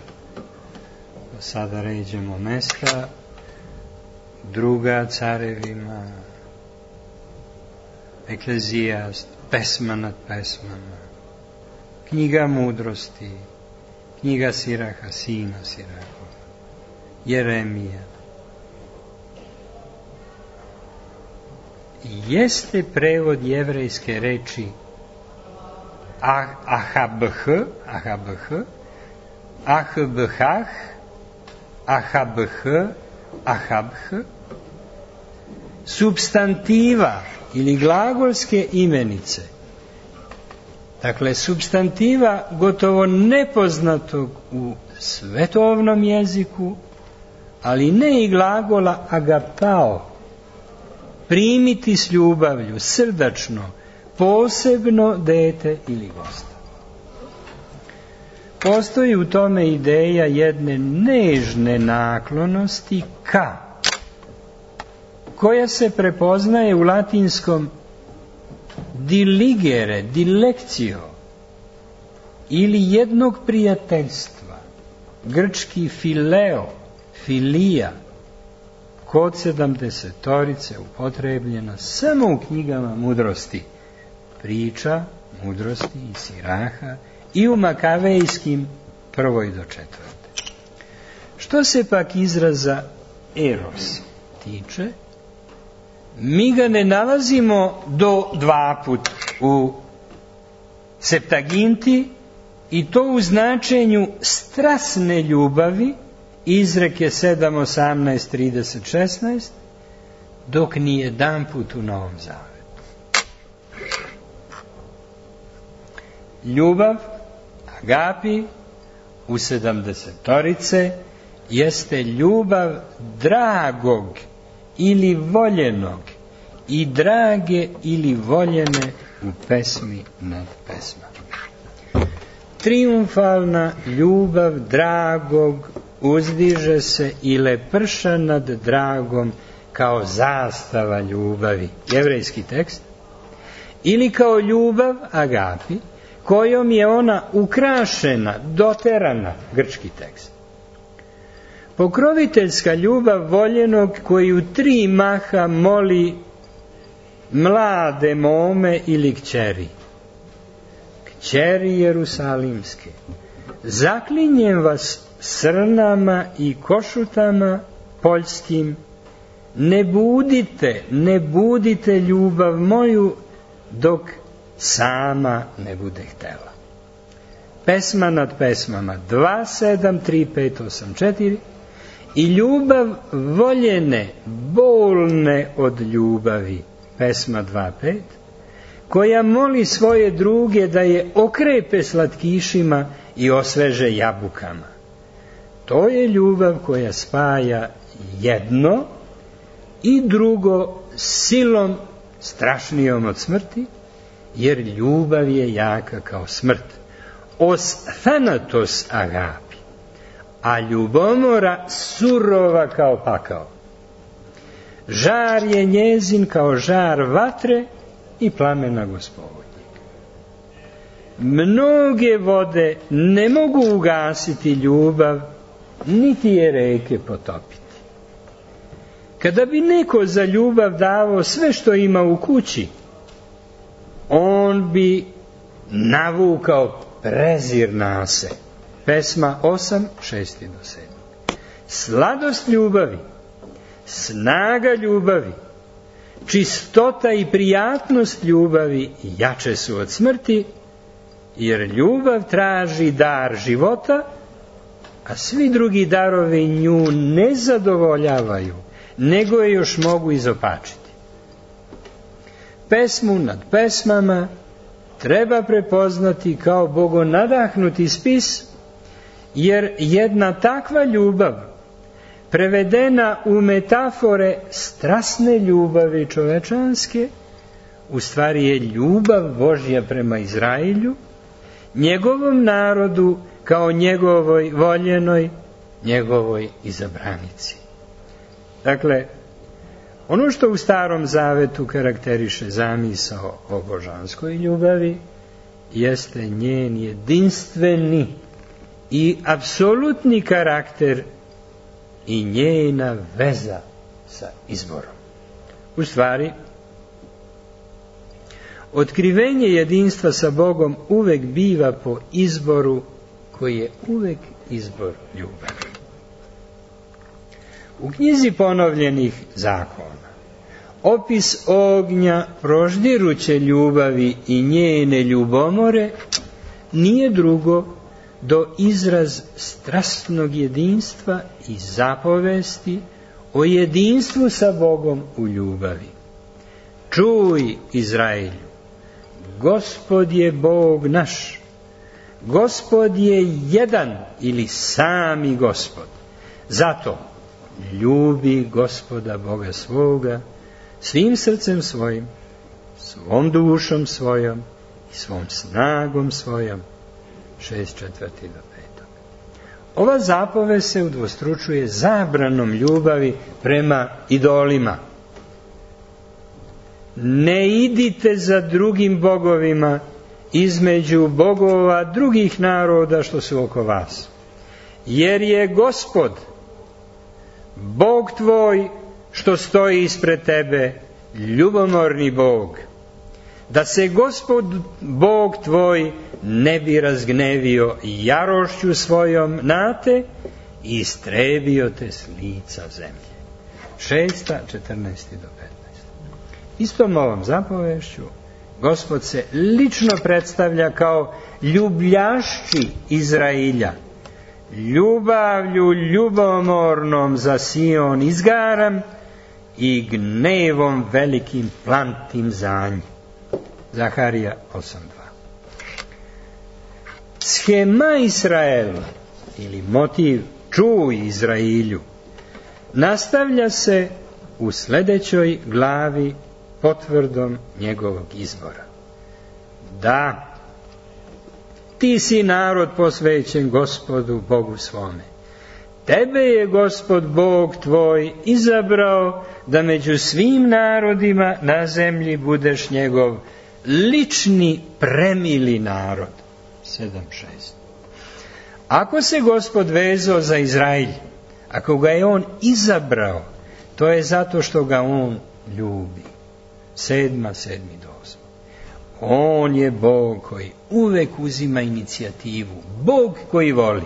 Sada ređemo mesta, druga Carevima, Eklezijast, pesma nad pesmama, knjiga mudrosti, knjiga Siraha, sina Sirahova, Jeremija. Jeste prevod jevrejske reči ahabh, ahabh, ahbhah, ahabh, ahabh, substantiva ili glagolske imenice. Dakle, substantiva gotovo nepoznatog u svetovnom jeziku, ali ne i glagola agapao, primiti s ljubavlju, srdačno, posebno dete ili gosta. Postoji u tome ideja jedne nežne naklonosti ka, koja se prepoznaje u latinskom diligere, dilekcio, ili jednog prijateljstva, grčki fileo, filija, kod sedamdesetorice upotrebljena samo u knjigama mudrosti, priča, mudrosti i Siraha i u makavejskim prvoj do četvrte. Što se pak izraza eros tiče, mi ga ne nalazimo do dva put u Septaginti, i to u značenju strasne ljubavi, izreke sedam, osamnaest, trideset, šesnaest, dok ni jedan put u Novom Zavetu. Ljubav, agapi, u sedamdesetorice jeste ljubav dragog ili voljenog i drage ili voljene u pesmi nad pesmama. Triumfalna ljubav dragog uzdiže se i leprša nad dragom kao zastava ljubavi, jevrejski tekst, ili kao ljubav agapi, kojom je ona ukrašena, doterana, grčki tekst. Pokroviteljska ljubav voljenog koji u tri maha moli mlade mome ili kćeri. Kćeri Jerusalimske, zaklinjem vas srnama i košutama poljskim, ne budite, ne budite ljubav moju dok sama ne bude htela. Pesma nad pesmama dva, sedam, tri, pet, osam, četiri i ljubav voljene, bolne od ljubavi, pesma dva, pet, koja moli svoje druge da je okrepe slatkišima i osveže jabukama. To je ljubav koja spaja jedno i drugo silom strašnijom od smrti, jer ljubav je jaka kao smrt. Os thanatos agapi, a ljubomora surova kao pakao. Žar je njezin kao žar vatre i plamena Gospodnjeg. mnoge vode ne mogu ugasiti ljubav, niti je reke potopiti. Kada bi neko za ljubav davao sve što ima u kući, on bi navukao prezir na se. Pesma osam, šest do sedam. Sladost ljubavi, snaga ljubavi, čistota i prijatnost ljubavi jače su od smrti, jer ljubav traži dar života, a svi drugi darovi nju ne zadovoljavaju, nego je još mogu izopačiti. Pesmu nad pesmama treba prepoznati kao bogonadahnuti spis, jer jedna takva ljubav, prevedena u metafore strasne ljubavi čovečanske, u stvari je ljubav Božja prema Izrailju, njegovom narodu kao njegovoj voljenoj, njegovoj izabranici. Dakle, ono što u Starom Zavetu karakteriše zamisao o božanskoj ljubavi jeste njen jedinstveni i apsolutni karakter i njena veza sa izborom. U stvari, otkrivenje jedinstva sa Bogom uvek biva po izboru koji je uvek izbor ljubavi. U knjizi ponovljenih zakona opis ognja proždiruće ljubavi i njene ljubomore nije drugo do izraz strasnog jedinstva i zapovesti o jedinstvu sa Bogom u ljubavi. Čuj, Izraelju, Gospod je Bog naš, Gospod je jedan ili sami Gospod. Zato ljubi Gospoda Boga svoga svim srcem svojim, svom dušom svojom i svom snagom svojom. Šest četvrti do petog. Ova zapovest se udvostručuje zabranom ljubavi prema idolima. Ne idite za drugim bogovima između bogova drugih naroda što su oko vas, jer je Gospod, Bog tvoj, što stoji ispred tebe, ljubomorni Bog, da se Gospod Bog tvoj ne bi razgnevio jarošću svojom na te i istrebio te s lica zemlje. Šesta, četrnaesti do petnaesti. Istom ovom zapovešću Gospod se lično predstavlja kao ljubljašći Izrailja. Ljubavlju ljubomornom za Sion izgaram i gnevom velikim plantim za nj. Zaharija osam dva. Shema Israela ili motiv čuj Izrailju nastavlja se u sledećoj glavi potvrdom njegovog izbora. Da, ti si narod posvećen Gospodu Bogu svome. Tebe je Gospod Bog tvoj izabrao da među svim narodima na zemlji budeš njegov lični premili narod. sedam šest. Ako se Gospod vezao za Izrailj, ako ga je on izabrao, to je zato što ga on ljubi. Sedma, sedmi do osma. On je Bog koji uvek uzima inicijativu. Bog koji voli.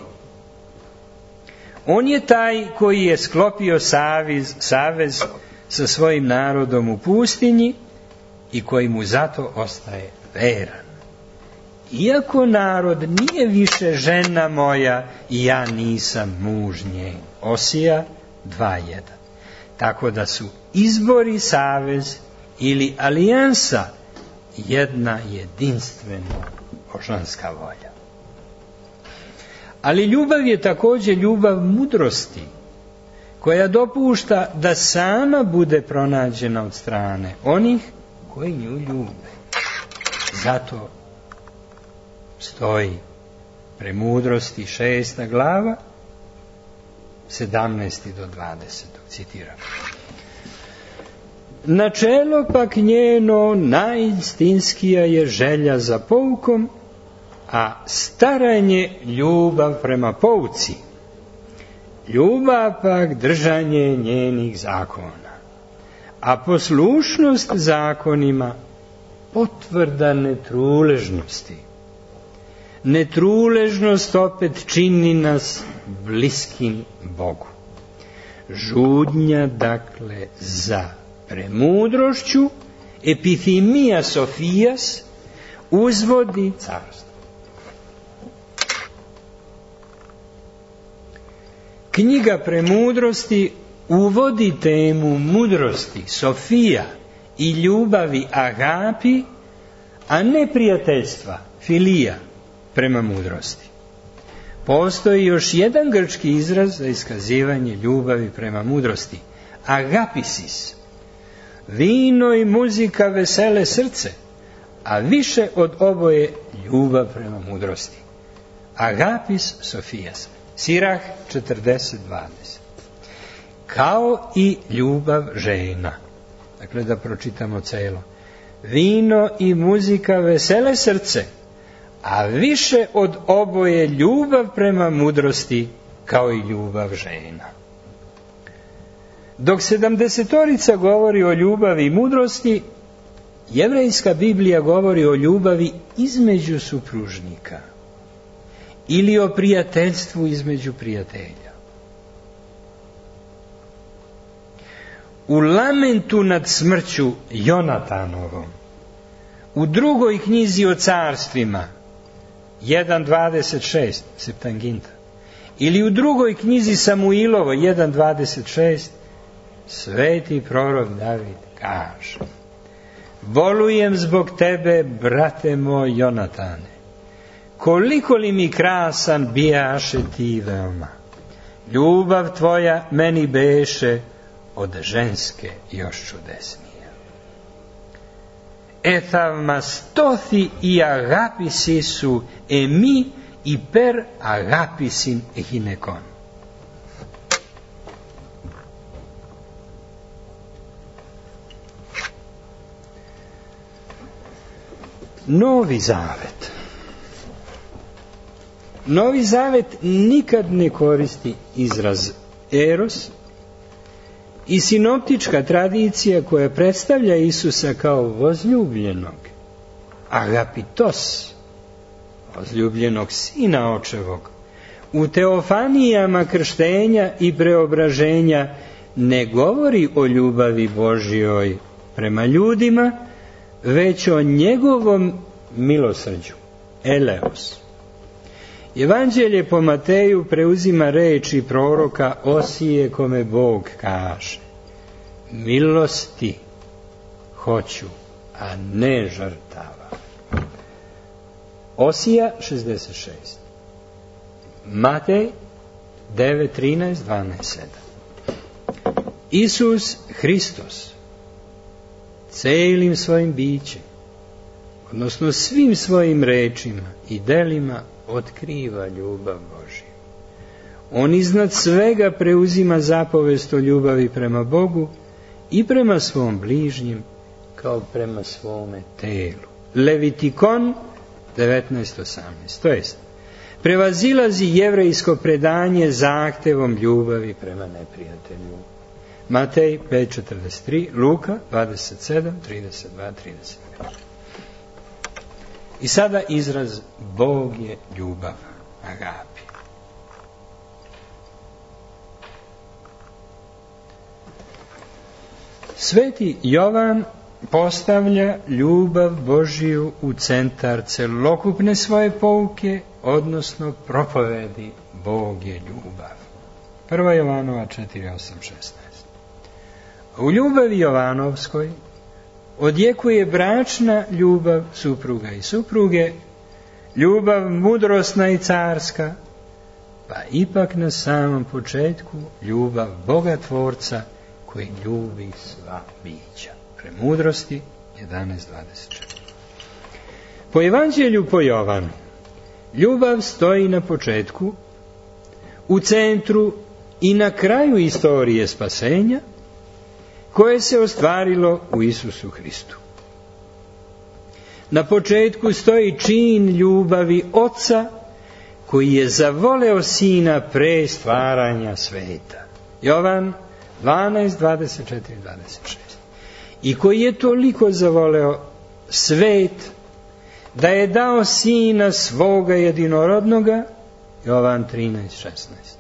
On je taj koji je sklopio savez, savez sa svojim narodom u pustinji i koji mu zato ostaje veran. Iako narod nije više žena moja i ja nisam muž njen. Osija dva jedan. Tako da su izbori, savez ili alijansa jedna jedinstvena božanska volja. Ali ljubav je također ljubav mudrosti, koja dopušta da sama bude pronađena od strane onih koji nju ljube. Zato stoji premudrosti šesta glava, sedamnaesti do dvadesetog, citiram. Načelo pak njeno najistinskija je želja za poukom a staranje ljubav prema pouci, ljubav pak držanje njenih zakona, a poslušnost zakonima potvrda netruležnosti. Netruležnost opet čini nas bliskim Bogu. Žudnja, dakle, za premudrošću, epithimija Sofijas, uzvodi carstvo. Knjiga premudrosti uvodi temu mudrosti, Sofija i ljubavi agapi, a ne prijateljstva, filija, prema mudrosti. Postoji još jedan grčki izraz za iskazivanje ljubavi prema mudrosti, agapisis. Vino i muzika vesele srce, a više od oboje ljubav prema mudrosti. Agapis Sofijas. Sirah četrdeset dvadeset. Kao i ljubav žena. Dakle, da pročitamo celo. Vino i muzika vesele srce, a više od oboje ljubav prema mudrosti, kao i ljubav žena. Dok sedamdesetorica govori o ljubavi i mudrosti, jevrejska Biblija govori o ljubavi između supružnika ili o prijateljstvu između prijatelja. U lamentu nad smrću Jonatanovom, u drugoj knjizi o carstvima, jedan dvadeset šest, Septanginta, ili u drugoj knjizi Samuilovo, jedan dvadeset šest, sveti prorok David kaže: bolujem zbog tebe, brate moj Jonatane, koliko li mi krasan bijaše ti veoma, ljubav tvoja meni beše od ženske još čudesnija. Εθαυμαστώθη η αγάπησή σου εμή υπέρ αγάπησιν γυναικών. Novi Zavet. Novi Zavet nikad ne koristi izraz eros, i sinoptička tradicija koja predstavlja Isusa kao возлюbljenog, agapitos, возлюbljenog sina očevog, u teofanijama krštenja i preobraženja ne govori o ljubavi Božjoj prema ljudima, već o njegovom milosrđu, eleos. Evanđelje po Mateju preuzima reči proroka Osije, kome Bog kaže: milosti hoću, a ne žrtava. Osija šezdeset šest. Matej devet trinaest dvanaest sedam. Isus Hristos celim svojim bićem, odnosno svim svojim rečima i delima, otkriva ljubav Božju. On iznad svega preuzima zapovest o ljubavi prema Bogu i prema svom bližnjem kao prema svome telu. Levitikon devetnaest osamnaest. To jest, prevazilazi jevrejsko predanje zahtevom ljubavi prema neprijatelju. Matej pet četrdeset tri, Luka dvadeset sedam trideset dva trideset pet. I sada izraz Bog je ljubav, agapi. Sveti Jovan postavlja ljubav Božiju u centar celokupne svoje pouke, odnosno propovedi Bog je ljubav. Prva Jovanova četiri osam šesnaest. U ljubavi Jovanovskoj odjekuje bračna ljubav supruga i supruge, ljubav mudrosna i carska, pa ipak na samom početku ljubav Boga Tvorca koji ljubi sva bića. Premudrosti jedanaest dvadeset četiri. Po Evanđelju po Jovanu, ljubav stoji na početku, u centru i na kraju istorije spasenja, koje se ostvarilo u Isusu Hristu. Na početku stoji čin ljubavi Oca koji je zavoleo Sina pre stvaranja sveta. Jovan dvanaest, dvadeset četiri, dvadeset šest. I koji je toliko zavoleo svet da je dao Sina svoga jedinorodnoga. Jovan trinaest, šesnaest.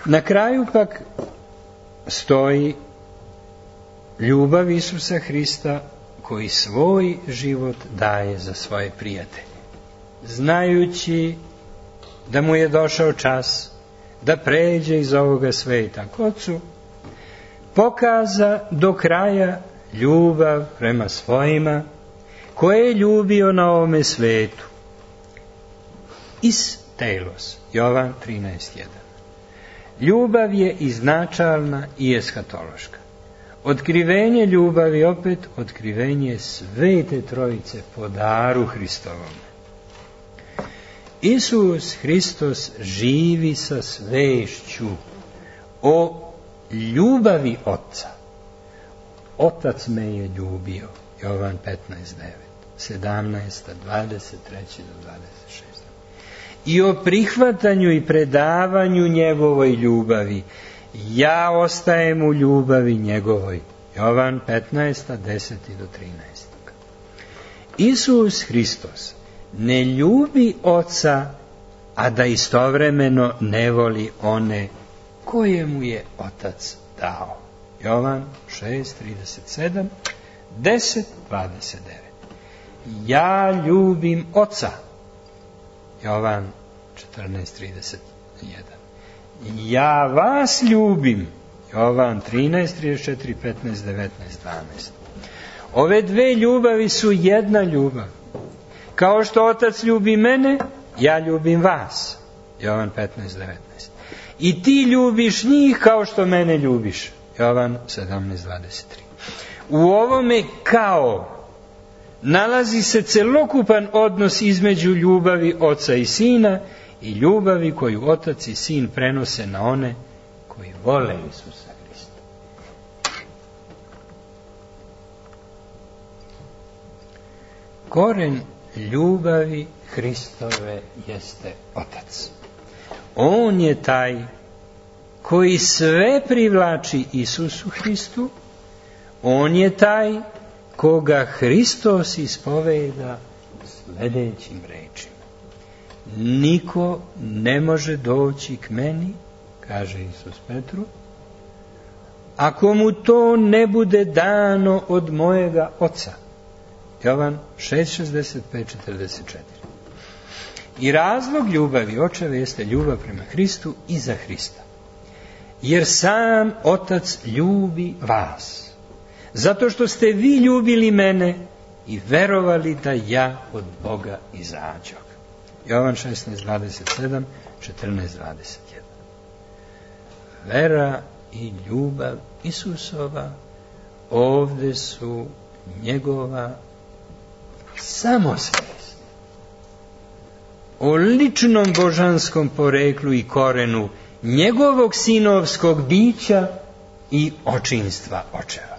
Na kraju pak stoji ljubav Isusa Hrista koji svoj život daje za svoje prijatelje, znajući da mu je došao čas da pređe iz ovoga sveta k Ocu, pokaza do kraja ljubav prema svojima koje je ljubio na ovome svetu. Is telos, Jovan trinaest, jedan. Ljubav je iznačalna i eskatološka. Otkrivenje ljubavi opet otkrivenje Svete Trojice po daru Hristovom. Isus Hristos živi sa svešću o ljubavi Oca. Otac me je ljubio. Jovan petnaest, devet, sedamnaest, dvadeset tri do dvadeset šest. I o prihvatanju i predavanju njegovoj ljubavi. Ja ostajem u ljubavi njegovoj. Jovan petnaest, deset do trinaest. Isus Hristos ne ljubi Oca, a da istovremeno ne voli one koje mu je Otac dao. Jovan šest, trideset sedam, deset, dvadeset devet. Ja ljubim Oca. Jovan četrnaest, trideset jedan. Ja vas ljubim. Jovan trinaest, trideset četiri, petnaest, devetnaest, dvanaest. Ove dve ljubavi su jedna ljubav. Kao što Otac ljubi mene, ja ljubim vas. Jovan petnaest, devetnaest. I ti ljubiš njih kao što mene ljubiš. Jovan sedamnaest, dvadeset tri. U ovome kao nalazi se celokupan odnos između ljubavi Oca i Sina i ljubavi koju Otac i Sin prenose na one koji vole Isusa Hrista. Koren ljubavi Hristove jeste Otac. On je taj koji sve privlači Isusu Hristu, on je taj koga Hristos ispoveda sljedećim rečima. Niko ne može doći k meni, kaže Isus Petru, ako mu to ne bude dano od mojega Oca. Jovan šest, šezdeset pet, četrdeset četiri. I razlog ljubavi Očeve jeste ljubav prema Hristu i za Hrista. Jer sam Otac ljubi vas. Zato što ste vi ljubili mene i verovali da ja od Boga izađoh. Jovan šesnaest, dvadeset sedam, četrnaest, dvadeset jedan. Vera i ljubav Isusova ovde su njegova samosvest o ličnom božanskom poreklu i korenu njegovog sinovskog bića i očinstva Očeva.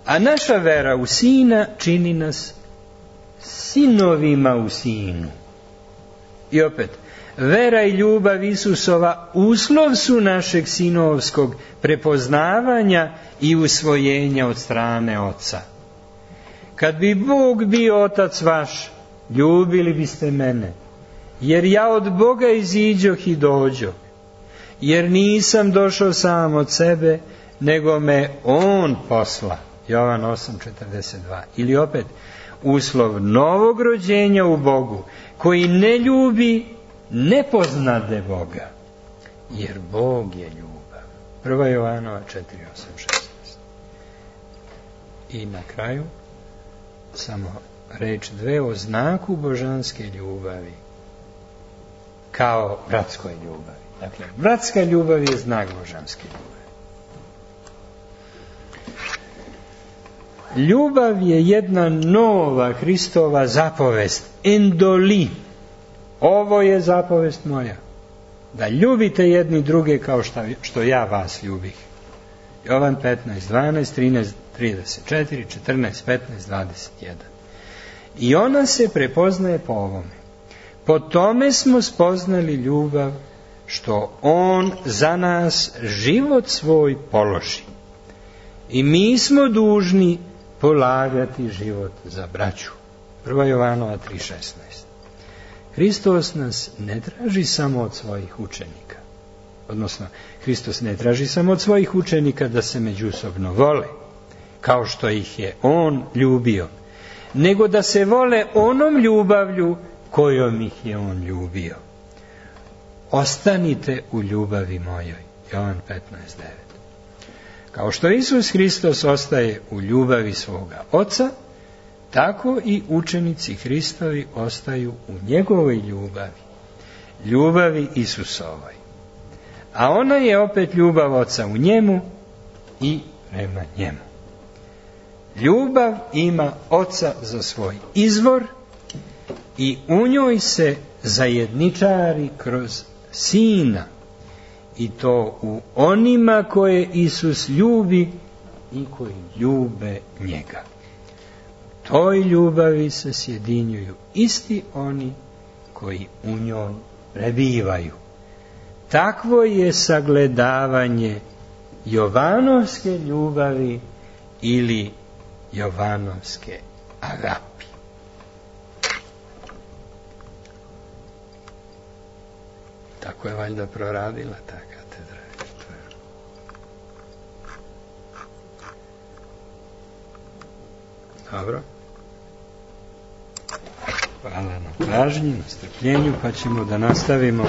A naša vera u Sina čini nas sinovima u Sinu. I opet, vera i ljubav Isusova uslov su našeg sinovskog prepoznavanja i usvojenja od strane Oca. Kad bi Bog bio Otac vaš, ljubili biste mene, jer ja od Boga iziđoh i dođoh, jer nisam došao sam od sebe, nego me On posla. Jovan osam, četrdeset dva. Ili opet, uslov novog rođenja u Bogu, koji ne ljubi, ne poznade Boga, jer Bog je ljubav. Prva Jovanova četiri, osam, šesnaest. I na kraju, samo reč dve o znaku božanske ljubavi, kao bratskoj ljubavi. Dakle, bratska ljubav je znak božanske ljubavi. ljubav je jedna nova Hristova zapovest, endoli. Ovo je zapovest moja, da ljubite jedni druge kao šta, što ja vas ljubih. Jovan petnaest, dvanaest, trinaest, trideset četiri, četrnaest, petnaest, dvadeset jedan. I ona se prepoznaje po ovome. Po tome smo spoznali ljubav, što on za nas život svoj položi. I mi smo dužni polagati život za braću. prva Jovanova tri šesnaest. Hristos nas ne traži samo od svojih učenika. Odnosno, Hristos ne traži samo od svojih učenika da se međusobno vole, kao što ih je on ljubio, nego da se vole onom ljubavlju kojom ih je on ljubio. Ostanite u ljubavi mojoj. Jovan petnaest devet. Kao što Isus Hristos ostaje u ljubavi svoga Oca, tako i učenici Hristovi ostaju u njegovoj ljubavi, ljubavi Isusovoj. A ona je opet ljubav Oca u njemu i prema njemu. Ljubav ima Oca za svoj izvor i u njoj se zajedničari kroz Sina, i to u onima koje Isus ljubi i koji ljube njega. U toj ljubavi se sjedinjuju isti oni koji u njoj prebivaju. Takvo je sagledavanje Jovanovske ljubavi ili Jovanovske agapi. Tako je valjda proradila ta katedra. Dobro. Hvala na pažnji, na strpljenju, pa ćemo da nastavimo